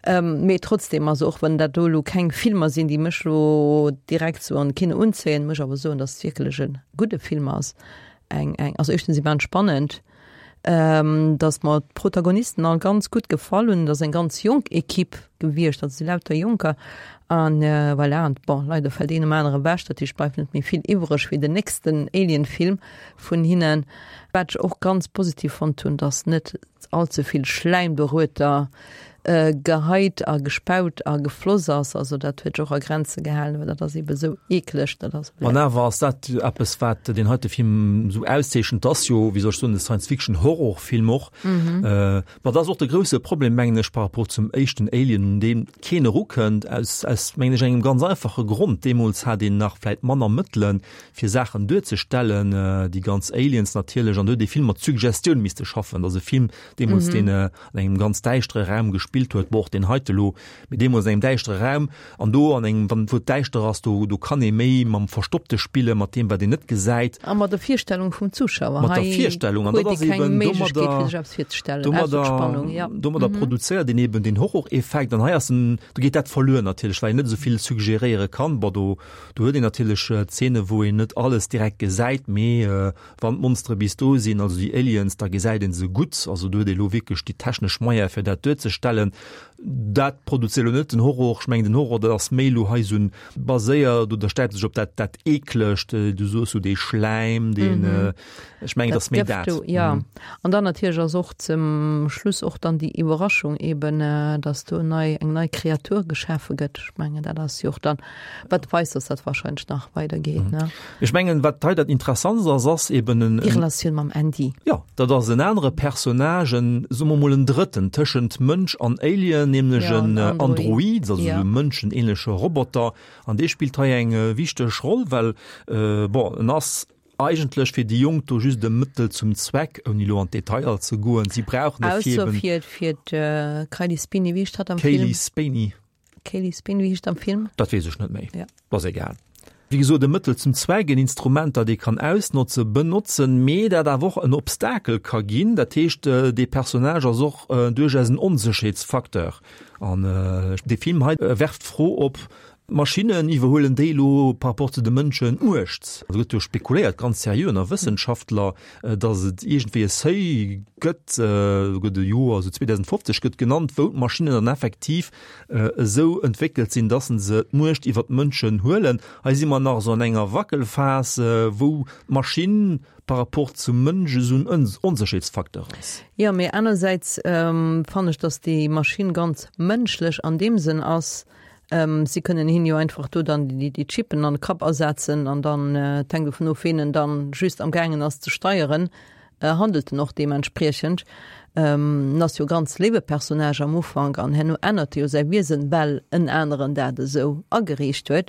Mee trotzdem, also och wann dat do elo keng Filmer sinn, déi mech elo direkt sou an de Kino unzéien, muss ech awer soen, datt et wierklech e gudde Film ass. Eng, eng, also éischtens immens spannend, datt mer d'Protagonisten all ganz gutt gefall hunn. Et ass eng ganz jonk Equipe gewiescht, also et si lauter Jonker an voilà. An bon, leider fält een nom anere ewech, dat heescht, et bleift net méi vill iwwreg fir den nächsten Alien-Film vun hinnen. Wat ech och ganz positiv fonnt hunn, datt net all ze vill Schläim dorueter geheit a gespaut a gefloss ass, also dat huet sech och a Grenze gehalen, well dat ass ebe sou eekleg, dat ass. An awer ass dat eppes, wat deen heite Film esou auszeechent, 't ass jo, wéi soll ech soen, e Science-Fiction-Horrorfilm och. Ma dat ass och de grousse Problem, mengen ech, par rapport zum éischten Alien, un dee keen erukënnt, aus, aus, mengen ech, engem ganz einfache Grond, Deemools hat een nach vläit manner Mëttelen, fir Saachen duerzestellen, déi ganz Aliens natierlech, an do huet ee vill mat Suggestioun misste schaffen. Dat ass e Film deemools, deen an engem ganz däischtere Raum gespillt huet, bon och deen heite lo, mee deemools an engem däischtere Raum, an do an engem, wann wou et däischter ass, do do kann ee méi mam Verstoppte spillen, mat deem wat een net gesäit. A mat der Virstellung vum Zuschauer. Mat der Hei Virstellung, an huet dat ee ass keng eben Méiglechkeet fir domadder sech eppes virzestellen, ausser domadder d'Spannung, ja. domadder produzéiert een eben den Horroreffekt, an hei ass en, do geet dat verluer natierlech, well een net esou vill suggeréiere kann. Bon, do do huet een natierlech Zeene wou een net alles direkt gesäit, mee wann d'Monstere bis do sinn, also déi Aliens, da gesäit een se gutt. Also do huet ee lo wierklech déi technesch Moyene fir dat duerzestellen. Dat produzéiert elo net den Horror. Ech mengen den Horror, dat ass méi elo hei esou en baséiert oder stäipt sech op dat dat Eeklegt, du soos sou dee Schläim, deen, ech mengen et Dat ass méi Gëft dat. do, jo. An dann natierlech ass och zum Schluss och dann déi Iwwerraschung eben, dass do nei eng nei Kreatur geschafe gëtt. Ech mengen dat ass jo och dann, wat weist, dass dat wahrscheinlech nach weidergeet, ne? Ech mengen, wat hei dat Interessantst ass, ass eben en, Déi Relatioun mam Andy. Jo, dat ass en anere Personnage, en, soe mer mol en Drëtten tëschent Mënsch an Alien, nämlech Ja, en en Android. Android, also Ja. e mënschenähnleche Roboter. An dee spillt hei eng wichteg Roll, well, bon, en ass eigentlech fir déi Jonk do just e Mëttel zum Zweck, ouni elo an d'Detailer ze goen. Si brauchen e fir Ausser eben. fir, fir d'Kylie Spini, wéi heescht hatt am Film? Cailee Spaeny. Cailee Spaeny, wéi heescht am Film? Dat weess ech net méi. Ja. Ass egal. Wéi gesot, e Mëttel zum Zweck, en Instrument, dat ee kann ausnotzen, benotzen, mee dat awer och en Obstakel ka ginn. Dat heescht, dee Personnage ass och duerchaus en Onsécherheetsfacteur. An dee Film hei werft d'Fro op, D'Maschinnen, iwwerhuelen déi elo par rapport zu de Mënschen d'Muecht? Do gëtt jo spekuléiert, ganz seriö ënner Wëssenschaftler, datt et iergendwéi e Seuil gëtt, do gëtt e Joer, esou zweedausendfofzeg gëtt genannt, wou d'Maschinnen dann effektiv esou entwéckelt sinn, datt se d'Muecht iwwer d'Mënschen huelen. Hei si mer nach esou an enger Wackelphas, wou d'Maschinn par rapport zum Mënsch esou en Onsécherheetsfacteur ass. Jo, mee anersäits fannen ech, datt déi Maschinn ganz mënschlech an deem Sënn ass, Si kënnen hien jo einfach do dann déi Chippen an de Kapp asetzen an dann, et hänkt dovun of, ween en dann just am gaangen ass ze steieren, handelt en och deementspriechend. En ass jo e ganz léiwe Personnage am Ufank an herno ännert e jo säi Wiesen, well en aneren dat esou ageriicht huet.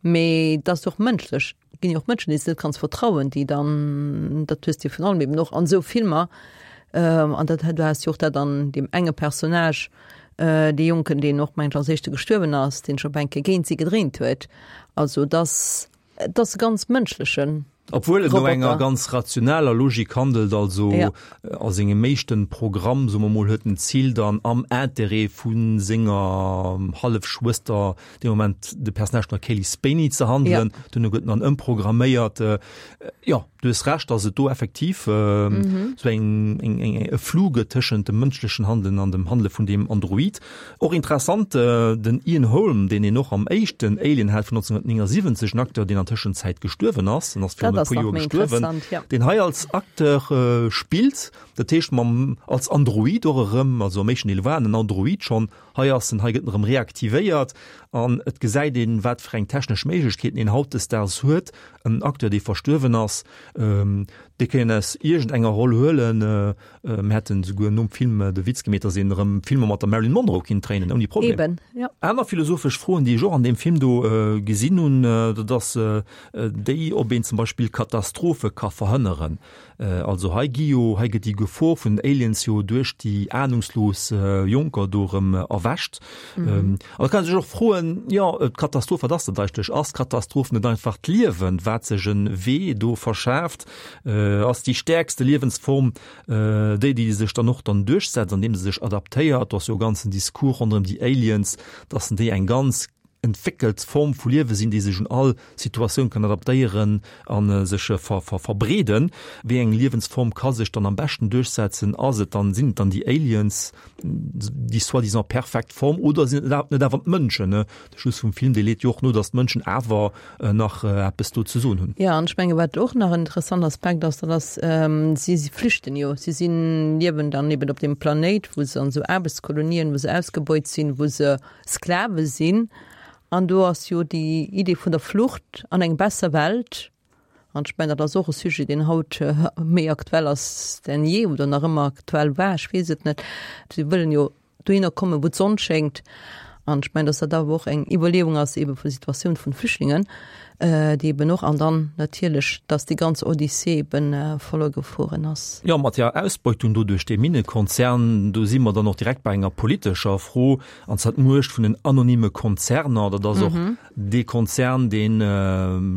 Mee et ass och mënschlech, et ginn jo och Mënschen, deenen s de net kanns vertrauen, déi dann, dat hues de jo virun allem eben och an esou Filmer, an dat, du has jo och dat an deem enge Personnage, dee Jonken, deen och, mengen ech, als éischte gestuerwen ass, deen sech op eng Kéier géint si gedréint huet. Also et ass, et ass e ganz mënschleche Obwuel et no enger Roboter. ganz rationaler Logik handelt, also Ja. a sengem éischten Programm, soe mer mol, huet en d'Zil dann am Interêt vu senger Hallefschwëster, dee Moment de Personnage vun der Cailee Spaeny, ze handelen. Ja. Duerno gëtt en dann ëmprogramméiert. Jo, du hues Recht, dass et do effektiv esou eng, eng, eng, e Flou gëtt tëschent dem mënschlechen Handelen an dem Handele vun deem Android. Och interessant, den Ian Holm, deen een och am éischten Alien hat vun neunzehnhundertneunundsiebzig, en Acteur, deen an Tëschenzäit gestuerwen ass, en ass virun e puer Joer gestuerwen, deen hei als Acteur spillt, dat heescht mam, als Android och erëm, also am éischten Deel war en en Android schonn, hei ass en, hei gëtt en erëm reaktivéiert an et gesäit een, wat fir eng technesch Méiglechkeeten een hautdesdaags huet, en Acteur, dee verstuerwen ass, dee kann een aus iergend enger Roll huelen. Mir hätten esouguer nom Film de Witz gemeet, datt een erëm Filmer mat der Marilyn Monroe kinnt dréinen, ouni Problem. Eben, jo. Aner philosophesch Froen, déi ech och an deem Film do gesinn hunn, dat ass déi, ob een zum Beispill Katastrophe ka verhënneren. Also hei gi jo, hei gëtt déi Gefor vun den Aliens jo duerch déi ahnungslos Jonker do erëm erwächt. An da kann ee sech och froen, jo, d'Katastroph, wat ass dat eigentlech? Ass d'Katastroph net einfach d'Liewen, wat sech e Wee do verschaaft? Ass déi stäerkste Liewensform déi, déi sech dann och dann duerchsetzt, andeem se sech adaptéiert? Do ass jo e ganzen Discours ronderëm déi Aliens, dass déi eng ganz entwéckelt Form vu Liewe sinn, déi sech un all Situatioun kann adaptéieren a sech verbreeden. Wéi eng Liewensform ka sech dann am beschten duerchsetzen? Ass et dann, sinn et dann déi Aliens, déi soi-disant perfekt Form, oder sinn et net awer d'Mënschen? De Schluss vum Film, dee leet jo och no, datt d'Mënschen awer nach eppes do ze soen hunn. Jo, an ech menge wat och nach en interessant Aspekt ass, dat ass, si si flüchten jo, si sinn, liewen dann eben op deem Planéit, wou se an esou Aarbechtskolonien, wou se ausgebeut sinn, wou se Sklave sinn. An do ass jo déi Idee vun der Flucht an eng besser Welt, an ech mengen, dat ass och e Sujet, deen haut méi aktuell ass denn je oder nach ëmmer aktuell war, ech weess et net. Si wëllen jo dohinner kommen, wou d'Sonn schéngt. An ech mengen, dass dat awer och eng Iwwerleeung ass eebe vu Situatioun vun Flüchtlingen, déi eben och, an dann natierlech, dass déi ganz Odyssee eben verluer gefueren ass. Jo, mat der Ausbeutung do duerch dee Minnekonzern, do si mer dann och direkt bei enger politescher Fro, an zwar d'Muecht vun den anonyme Konzerner. Dat ass och dee Konzern, dee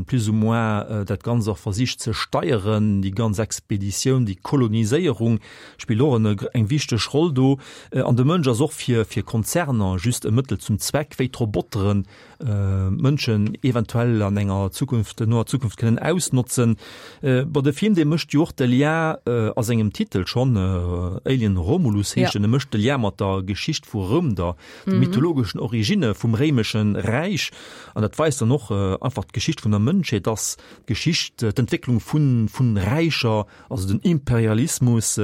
plus ou moins dat Ganzt och versicht ze steieren, déi ganz Expeditioun, déi Koloniséierung spillt och eng wichteg Roll do. An de Mënsch ass och fir Konzerner just e Mëttel zum Zweck, wéi d'Roboteren Mënschen eventuell an enger Zukunft, noer Zukunft kënnen ausnotzen. Bon, de Film, dee mécht jo och de Lien a sengem Titel schonn, Alien Romulus heescht en, e mécht de Lien mat der Geschicht vu Roum, der mythologeschen Originne vum réimeschen Räich. An dat weist dann och einfach d'Geschicht vun der Mënschheet, dass d'Geschicht, d'Entwécklung vu vu Räicher, also den Imperialismus,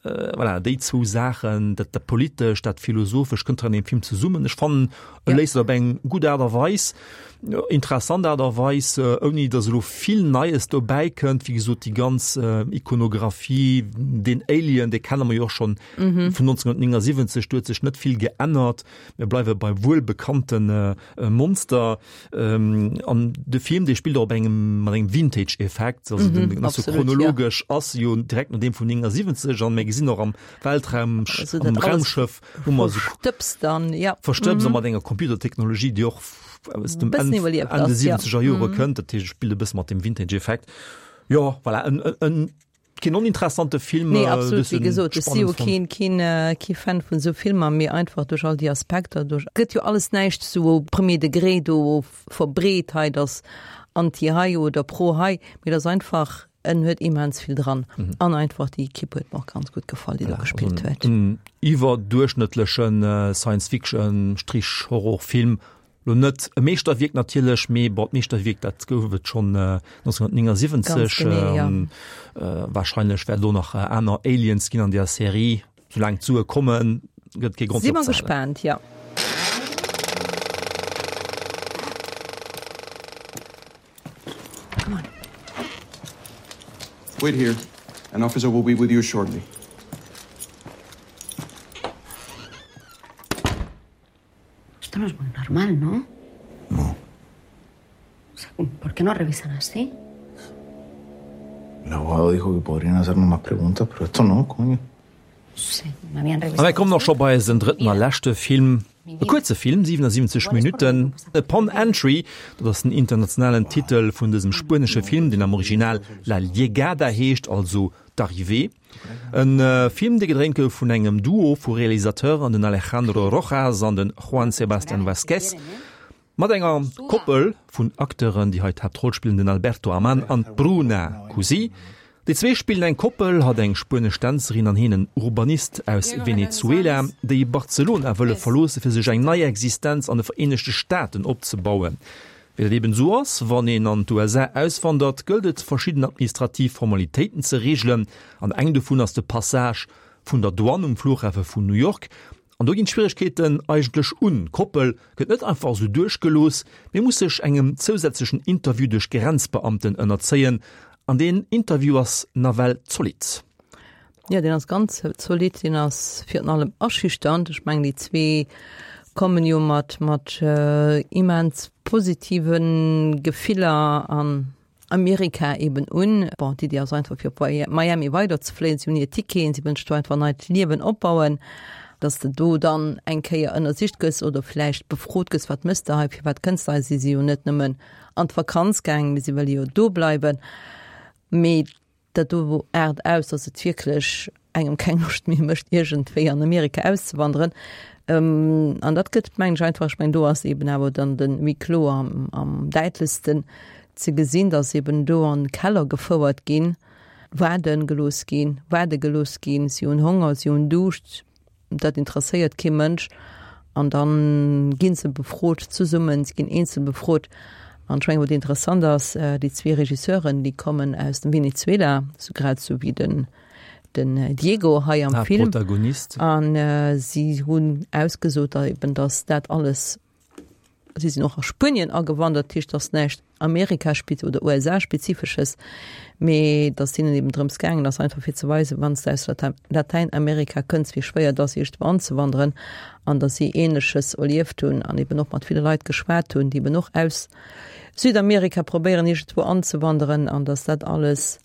Voilà, déi zwou Saachen, dat dat Politescht, dat Philosophesch kënnt hei an deem Film zesummen. Ech fannen, e léist et op eng gutt Aart a Weis. Interessant Aart a Weis, ouni datt elo vill Neies dobäi kënnt. Wéi gesot, déi ganz Ikonographie, deen Alien, dee kenne mer jo och schonn vun neunzehnhundertneunundsiebzig, do huet sech net vill geännert. Mir bleiwe bei wuelbekannte Monster. An de Film, dee spillt och op engem, mat engem Vintage-Effekt, also den ass jo chronologesch, ass jo direkt no deem vun neunundsiebzig an mir gesinn och am Weltraum, am Raumschëff, hu mer esou Verstëbst dann, ja. Verstëbst a mat enger Computertechnologie, déi och aus dem Enn Enn de siwwenzeger Jore kënnt. Dat heescht, et spillt e bësse mat dem Vintage-Effekt. Jo, voilà, en, en, keen oninteressante Film. Nee, absolut, wéi gesot, ech si jo keen, keen, kee Fan vun esou Filmer, mee einfach duerch all déi Aspekter, duerch, gëtt jo alles näischt sou au premier degré do verbreet hei, dass anti hei oder pro hei, mee et ass einfach, en huet immens vill dran. An einfach déi Equipe huet mer och ganz gutt gefall, déi do gespillt huet. En iwwerduerchschnëttlechen Science-Fiction-Horror-Film. Lo net e Meeschterwierk natierlech, mee bon, d'Meeschterwierk, dat gouf et schonn neunzehnhundertneunundsiebzig. Ganz genee, ja. Warscheinlech wäert et och nach aner Aliens ginn an där Serie. Soulaang d'Sue kommen, gëtt et kee Grond fir opzehalen. Si mer gespaant, ja. Come on. Wait here. An officer will be with you shortly. Esto no es muy normal, ¿no? No. O sea, ¿por qué no revisan así? El abogado dijo que podrían hacernos más preguntas, pero esto no, coño. A mir kommen och scho bei eisen drëtten a leschte Film, e kuerze Film, siwenundsiwwenzeg Minutten, Upon Entry, dat ass den internationalen Titel vun dësem spuenesche Film, deen am Original La Llegada heescht, also D'Arrivée. E Film, dee gedréint gouf vun engem Duo vu Realisateuren, den Alejandro Rojas an de Juan Sebastian Vázquez. Mat enger Koppel vun Acteuren, déi hei d'Haaptroll spillen, den Alberto Ammann an d'Bruna Cusi. Déi zwee spillen eng Koppel, hatt eng spuenesch Dänzerin an hien en Urbanist aus Venezuela, déi Barcelona wëlle verloosse fir sech eng nei Existenz an de Vereenegte Staaten opzebauen. Wéi dat eben esou ass, wann een an d'USA auswandert, gëllt et verschidden administrativ Formalitéiten ze reegelen an eng dovun ass de Passage vun der Douane um Flughafe vun New York. An do ginn d'Schwieregkeeten eigentlech un. D'Koppel gëtt net einfach esou duerchgelooss, mee muss sech engem zousätzlechen Interview duerch Grenzbeamten ënnerzéien. An deen Interview ass nawell zolidd. Jo, deen ass ganz zolidd. Deen ass virun allem aschüchternd. Ech mengen, déi zwee kommen jo mat mat immens positive Gefiller an Amerika eben un. Bon, d'Iddi ass einfach fir op Miami weiderzefléien. Si hunn hir Ticketen, si wëllen sech do einfach en neit Liewen opbauen. Dass de do dann eng Kéier ënnersicht gëss oder vläicht befrot gëss, wat mëss de hei, firwat kënns de hei? Si si jo net nëmmen an d'Vakanz gaangen, mee si wëlle jo do bleiwen. Mee dat do aart aus, dass et wierklech engem keng Loscht méi mécht, iergendwéi an Amerika auszewanderen. An dat gëtt, mengen ech, einfach, ech mengen, do ass eben awer dann de Huis clos am, am däitlechsten ze gesinn, dass eben do an Keller gefouert ginn, waarde gelooss ginn, waarde gelooss ginn, si hunn Honger, si hunn Duuscht, dat interesséiert kee Mënsch. An da gi se befrot zesummen, si ginn eenzel befrot. An ech mengen, wat interessant ass, déi zwee Regisseuren, déi kommen aus dem Venezuela, sou grad sou wéi den, den Diego hei am Film. Haaptprotagonist. An si hunn ausgesot, eben, datt dat alles, si sinn och a Spuenien agewandert, dat heescht, datt näischt Amerika-spez oder USA-spezifesches, mee datt hinnen eben drëms gaangen ass, einfach fir ze weisen, wann s de aus Latäinamerika kënns, wéi schwéier et ass, iergendwou anzewanderen, an datt si Ähnleches erlieft hunn an eben och mat ville Leit geschwat hunn, déi eben och aus Südamerika probéieren, iergendwou anzewanderen, an datt dat alles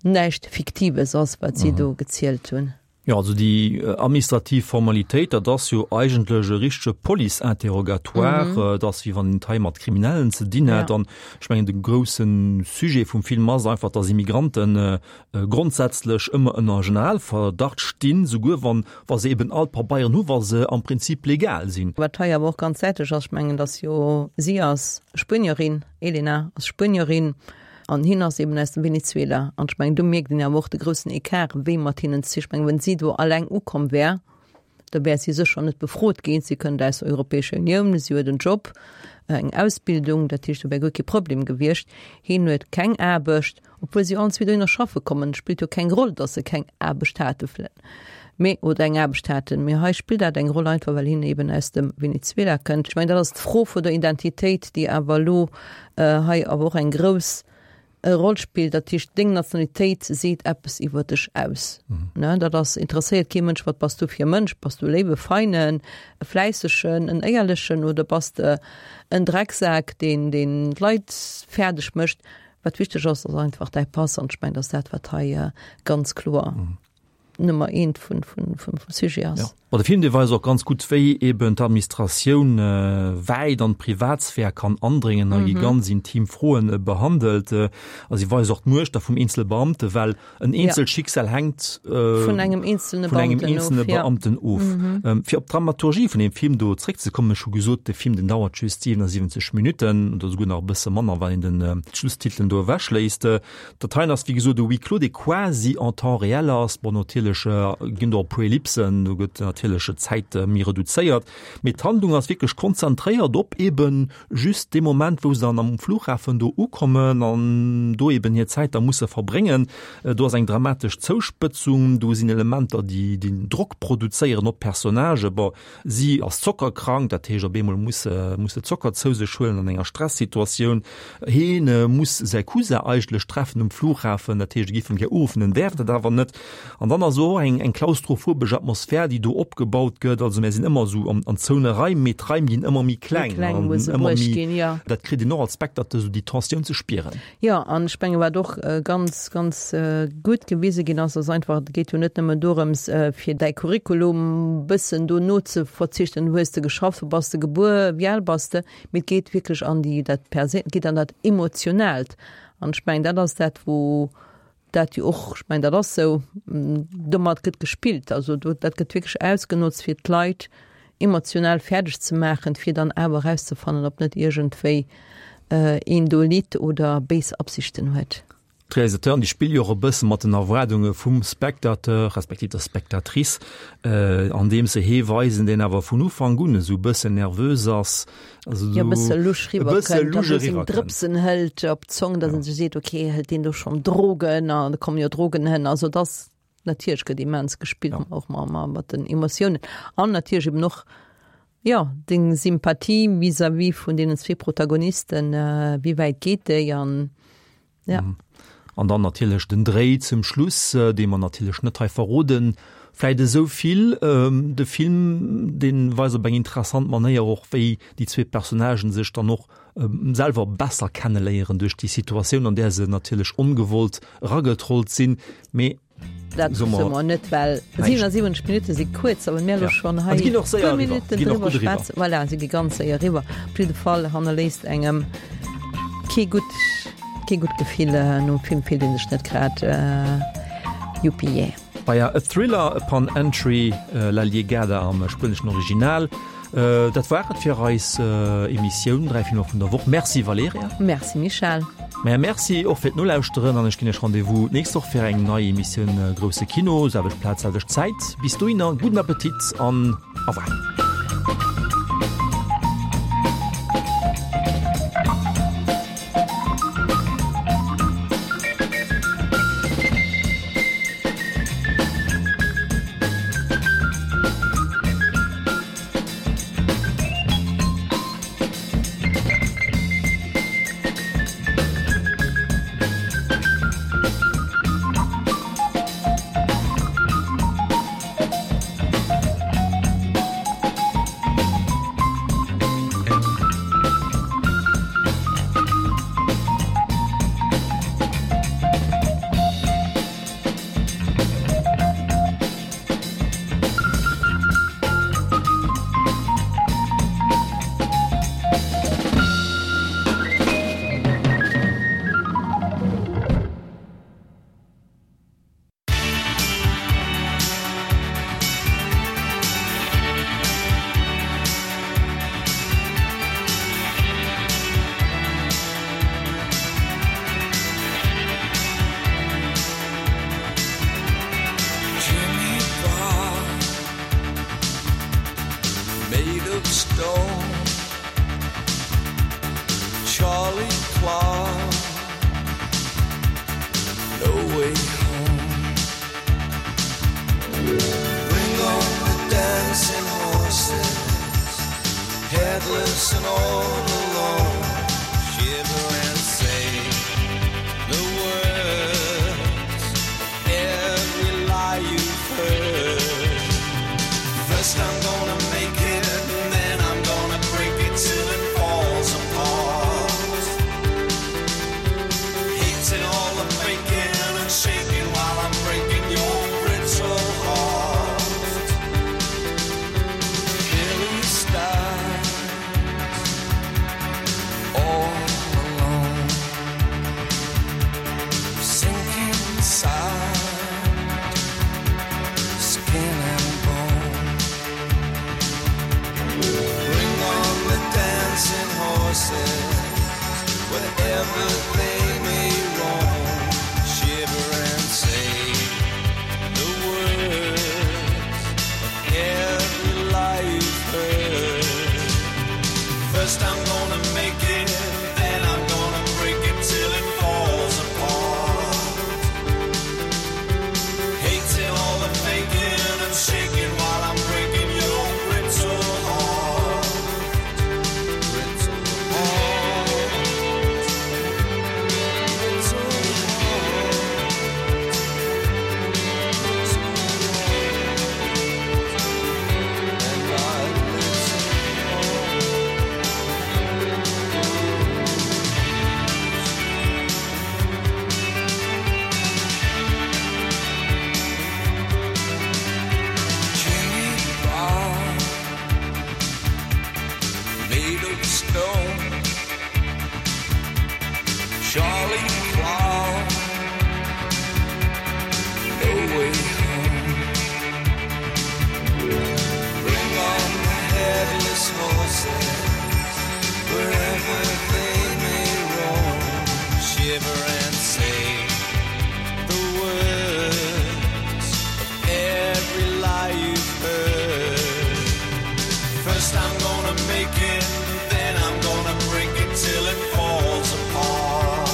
näischt Fiktives ass, wat si do gezielt hunn. Jo, also déi administrativ Formalitéit, dat ass jo eigentlech e richtege Police-Interrogatoire. Et ass, wéi wann een et hei mat Kriminellen ze dinn hätt. An ech mengen, de grousse Sujet vum Film ass einfach, dass Immigranten grondsätzlech ëmmer ënner Generalverdacht stinn, souguer wann, wa se eben all d'Pabeieren hu, wa se am Prinzip legal sinn. Wat hei awer och ganz däitlech ass, ech mengen, dass jo, si ass Spuenierin, Elena ass Spuenierin, An hien ass eben aus dem Venezuela. An ech mengen, do mierkt een awer och de groussen Ecart, wéi mat hinnen ze. Ech mengen, wenn si do alleng ukomm wär, da wär si sécher net befrot ginn. Si kënnt aus der Europäescher Unioun, si huet en Job, eng Ausbildung, dat heescht, do wär guer kee Problem gewiescht. Hien huet keng Aarbecht, obwuel si allen zwee dohinner schaffe kommen. Et spillt jo keng Roll, datt se keng Aarbecht hate. Mee, oder eng Aarbecht haten. Mee hei spillt dat eng Roll, einfach well hien eben aus dem Venezuela kënnt. Ech mengen, dat ass d'Fro vun der Identitéit, déi awer elo hei awer och eng grouss Roll spillt. Dat heescht, deng Nationalitéit seet eppes iwwer dech aus. Ne, dat ass, interesséiert kee Mënsch, wat bass du fir e Mënsch? Bass du e léiwe, feinen, e fläissegen, en éierlechen oder bass de en Drecksak, deen, deen d'Leit fäerdeg mécht? Wat wichteg ass, ass einfach däi Pass. An ech mengen, dat ass dat, wat hei ganz kloer Nummer eent vun, vun, vum Sujet ass. Ja. Ma de Film, dee weist och ganz gutt, wéi eben d'Administratioun wäit an d'Privatsphär kann andréngen a gi ganz intim Froen behandelt. A si weist och d'Muecht da vum eenzele Beamte, well en eenzelt Schicksal hänkt vun engem eenzelne vun engem Beamten eenzelne of, ja. Beamten of. Fir op d'Dramaturgie vun deem Film do zréckzekommen, ech hu gesot, de Film, deen dauert just siwenasiwwenzeg Minutten oder esouguer nach e bësse manner, wann een den d'Schlusstitelen do ewechléisst. Dat heien ass wéi gesot e Huis clos, dee quasi en temps réel ass. Bon, natierlech ginn do e puer Ellipsen, do gëtt natierlech d'Zäit méi reduzéiert, mee d'Handlung ass wierklech konzentréiert op eben just dee Moment, wou se dann am Flughafen do ukommen an do eben hir Zäit da musse verbréngen. Do ass eng dramatesch Zouspëtzung, do sinn Elementer, déi déi Drock produzéieren op d'Personnagë. Bon, si ass zockerkrank, dat heescht op eemol muss se muss se Zocker zou sech huelen an enger Stressituatioun. Heen muss säi Cousin eigentlech treffen um Flughafen, dat heescht e géif en gär uruffen, en däerf dat awer net. An dann ass och eng eng klaustrophobesch Atmosphär, déi do opgebaut gëtt. Also mär sinn ëmmer esou an an zoune Raim, mee d'Raim ginn ëmmer méi Méi kleng kleng, an wou se ëmmer bruecht méi, ginn, jo. dat kritt een och als Spectateur esou déi Tensioun ze spieren. Jo, an ech menge wat och ganz, ganz gutt gewise ginn ass, ass einfach, et geet jo net nëmmen dorëms, fir däi Curriculum bëssen do nozeverzichten, wou hues de geschafft, wou bass de gebuer, wéi al bass de, mee et geet wierklech an déi, dat Perséin, et geet an dat Emotionaalt. An ech mengen, dat ass dat, wou dat jo och, ech mengen, dat ass esou, domat gëtt gespillt, also do, dat gëtt wierklech ausgenotzt, fir d'Leit emotional fäerdeg ze maachen, fir dann awer erauszefannen, ob net iergendwéi een do litt oder béis Absichten huet. D'Realisateuren, déi spille jo och e bësse mat den Erwaardunge vum Spectateur respektiv der Spectatrice, andeems se hee weisen, deen awer vun Ufank un esou e bëssen nervös ass, also Jo, e bësse lusch e bësse riwwerkënnt, lusch a seng eriwwerkënnt. Drëpsen hëlt op d'Zong, datt en sech seet, ok, hëlt deen do schonn Drogen, an da kommen jo Drogen hënn. Also et ass, natierlech gëtt immens gespillt, och mat den Emotiounen an natierlech eben och, jo, deng Sympathie vis-à-vis vun deenen zwee Protagonisten, wéi wäit geet déi an ja. An dann natierlech den Dréi zum Schluss, dee mer natierlech net hei verroden. Vläit esou vill, de Film, dee weist op eng interessant Manéier och, wéi déi zwee Personnagen sech dann och selwer besser kenneléieren duerch déi Situatioun, an där se natierlech ongewollt eragetrollt sinn. Mee Dat soe soe mer mer net, well näischt. siwenasiwwenzeg Minutte si kuerz, a well mir elo Ja. schonn An hei se ginn och séier puer eriwwer. Minutten Ginn och driwwer gutt eriwwer. schwätzen. Voilà, se gi ganz séier eriwwer. Op jidde Fall hannerléisst engem kee gutt, kee gutt Gefill. Nom Film fillt ee sech net grad Yuppie yeah. Bei A Thriller Upon Entry, La Llegada am spueneschen Original. Dat war et fir eis Emissioun Dräi Filmer vun der Woch. Merci Valerija. Merci Michèle. Maja Merci och fir d'Nolauschteren an ech ginn Iech Rendez-vous d'nächst Woch fir eng nei Emissioun Grousse Kino, selwecht Plaz, selwecht Zäit. Bis dohinner gudden Appetit an au revoir. Helpless and all alone. Shiver and say the words of every lie you've heard. First I'm gonna make it, and then I'm gonna break it till it falls apart. Hating all the faking and shaking while I'm breaking your brittle heart. Billy stands all alone, sinking inside, skin and bone. Bring on the dancing horses, wherever they may roam. Shiver and say the words of every lie you've heard. First I'm gonna make it, then I'm gonna break it till it falls apart. Hating all the faking and shaking while I'm breaking your brittle heart. Brittle heart. Brittle heart. Brittle heart. And my little heart. Jimmy Brown, made of stone. Charlie Clown, no way home. Bring on the headless horses, wherever they may roam. Shiver and say the words of every lie you've heard. First I'm gonna make it, then I'm gonna break it till it falls apart.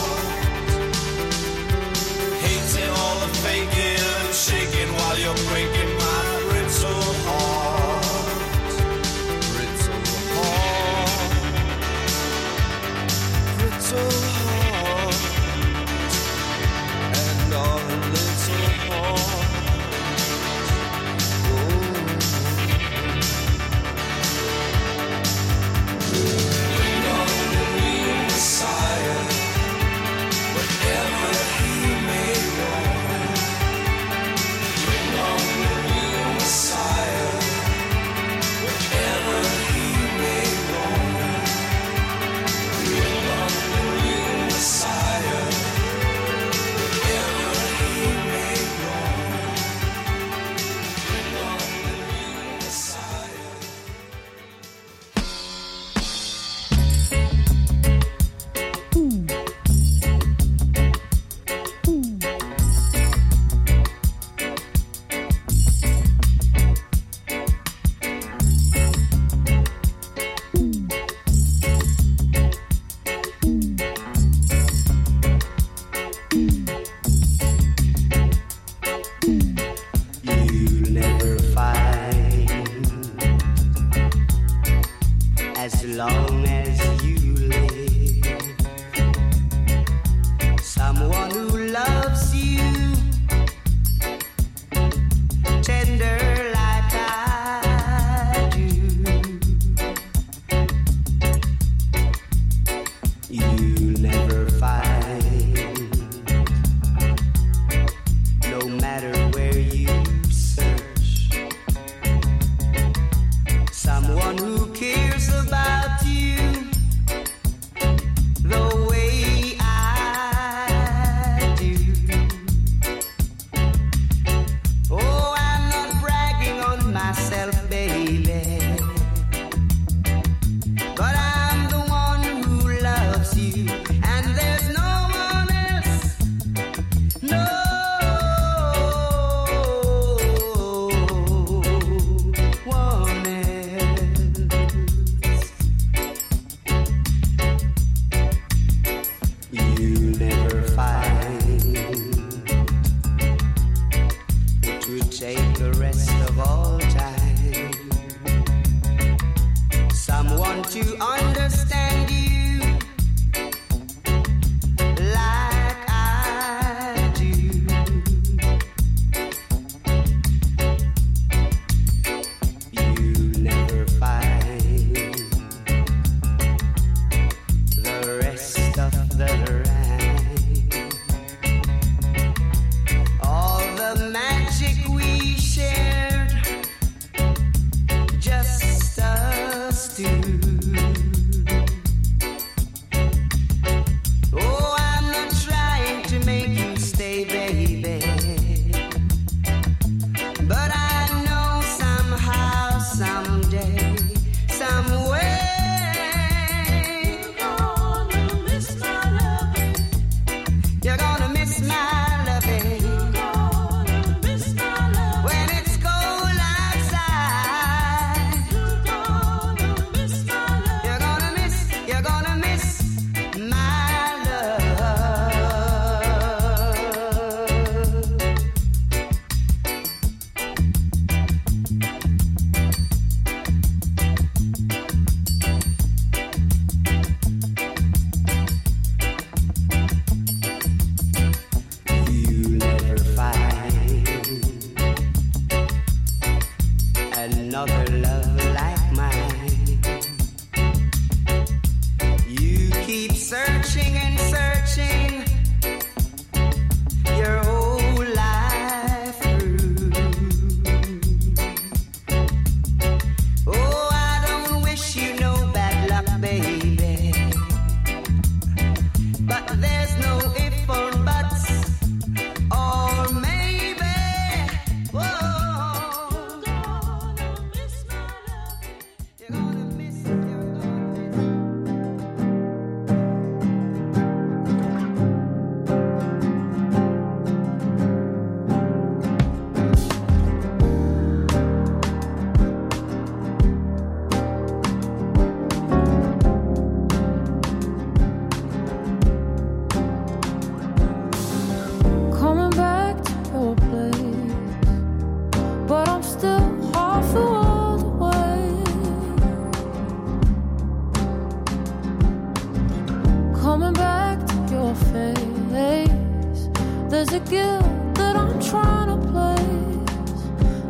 a guilt that I'm trying to place.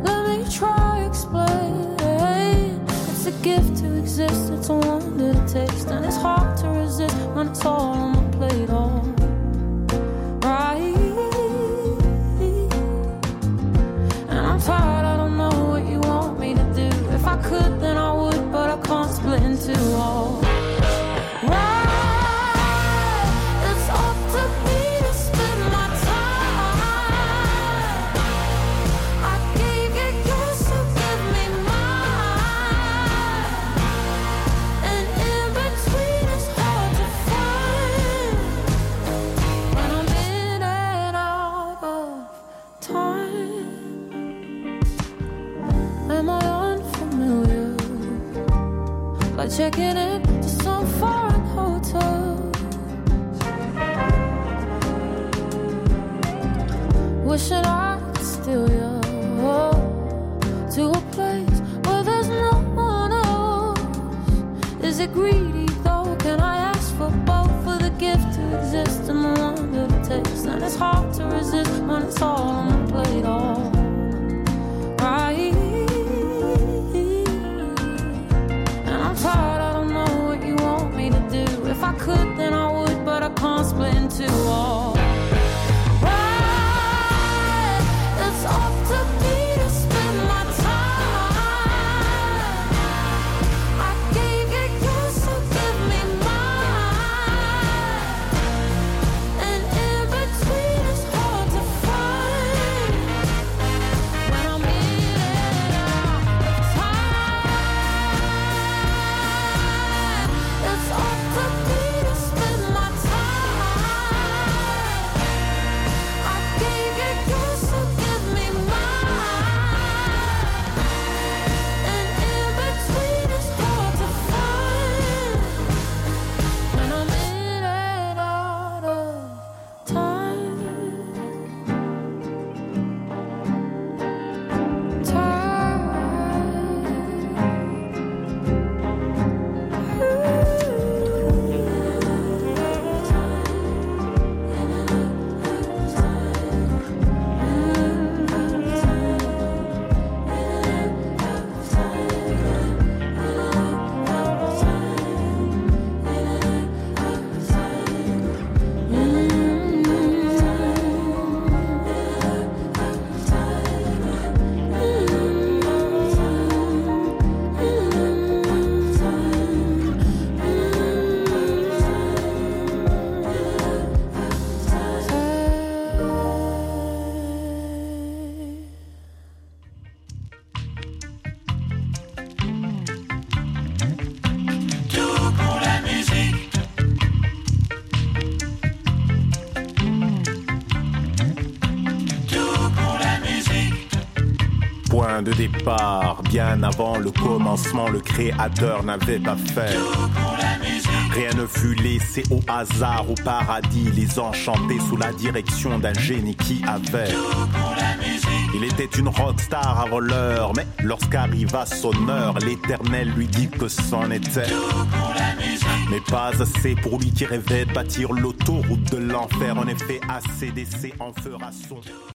Let me try explain. It's a gift to exist, it's a wonder to taste, and it's hard to resist when it's all on my plate. All right. And I'm tired, I don't know what you want me to do. If I could, then I would, but I can't split in two. All right. It's up to me to spend my time. I gave you yours, so give me mine. And in between it's hard to find. When I'm in and out of time. Am I unfamiliar? Like checking in to some foreign hotel. Wishing I could steal you to a place where there's no one else. Is it greedy though? Can I ask for both for the gift to exist and the wonder to taste? And it's hard to resist when it's all on my plate. All right. And I'm tired, I don't know what you want me to do. If I could, then I would, but I can't split in two. All right. It's up to me to spend my time. I gave you yours, so give me mine. And in between it's hard to find. When I'm in and out of time, it's up to me to spend my time. I gave you yours, so give me mine. And in between it's hard to find. When I'm in and out of time. Tout pour la musique. Tout pour la musique. Point de départ, bien avant le commencement, le créateur n'avait pas fait. Rien ne fut laissé au hasard, au paradis, les enchantés sous la direction d'un génie qui avait. Il était une rockstar avant l'heure, mais lorsqu'arriva son heure, l'éternel lui dit que c'en était. Mais pas assez pour lui qui rêvait de bâtir l'autoroute de l'enfer. En effet, ACDC en fera son.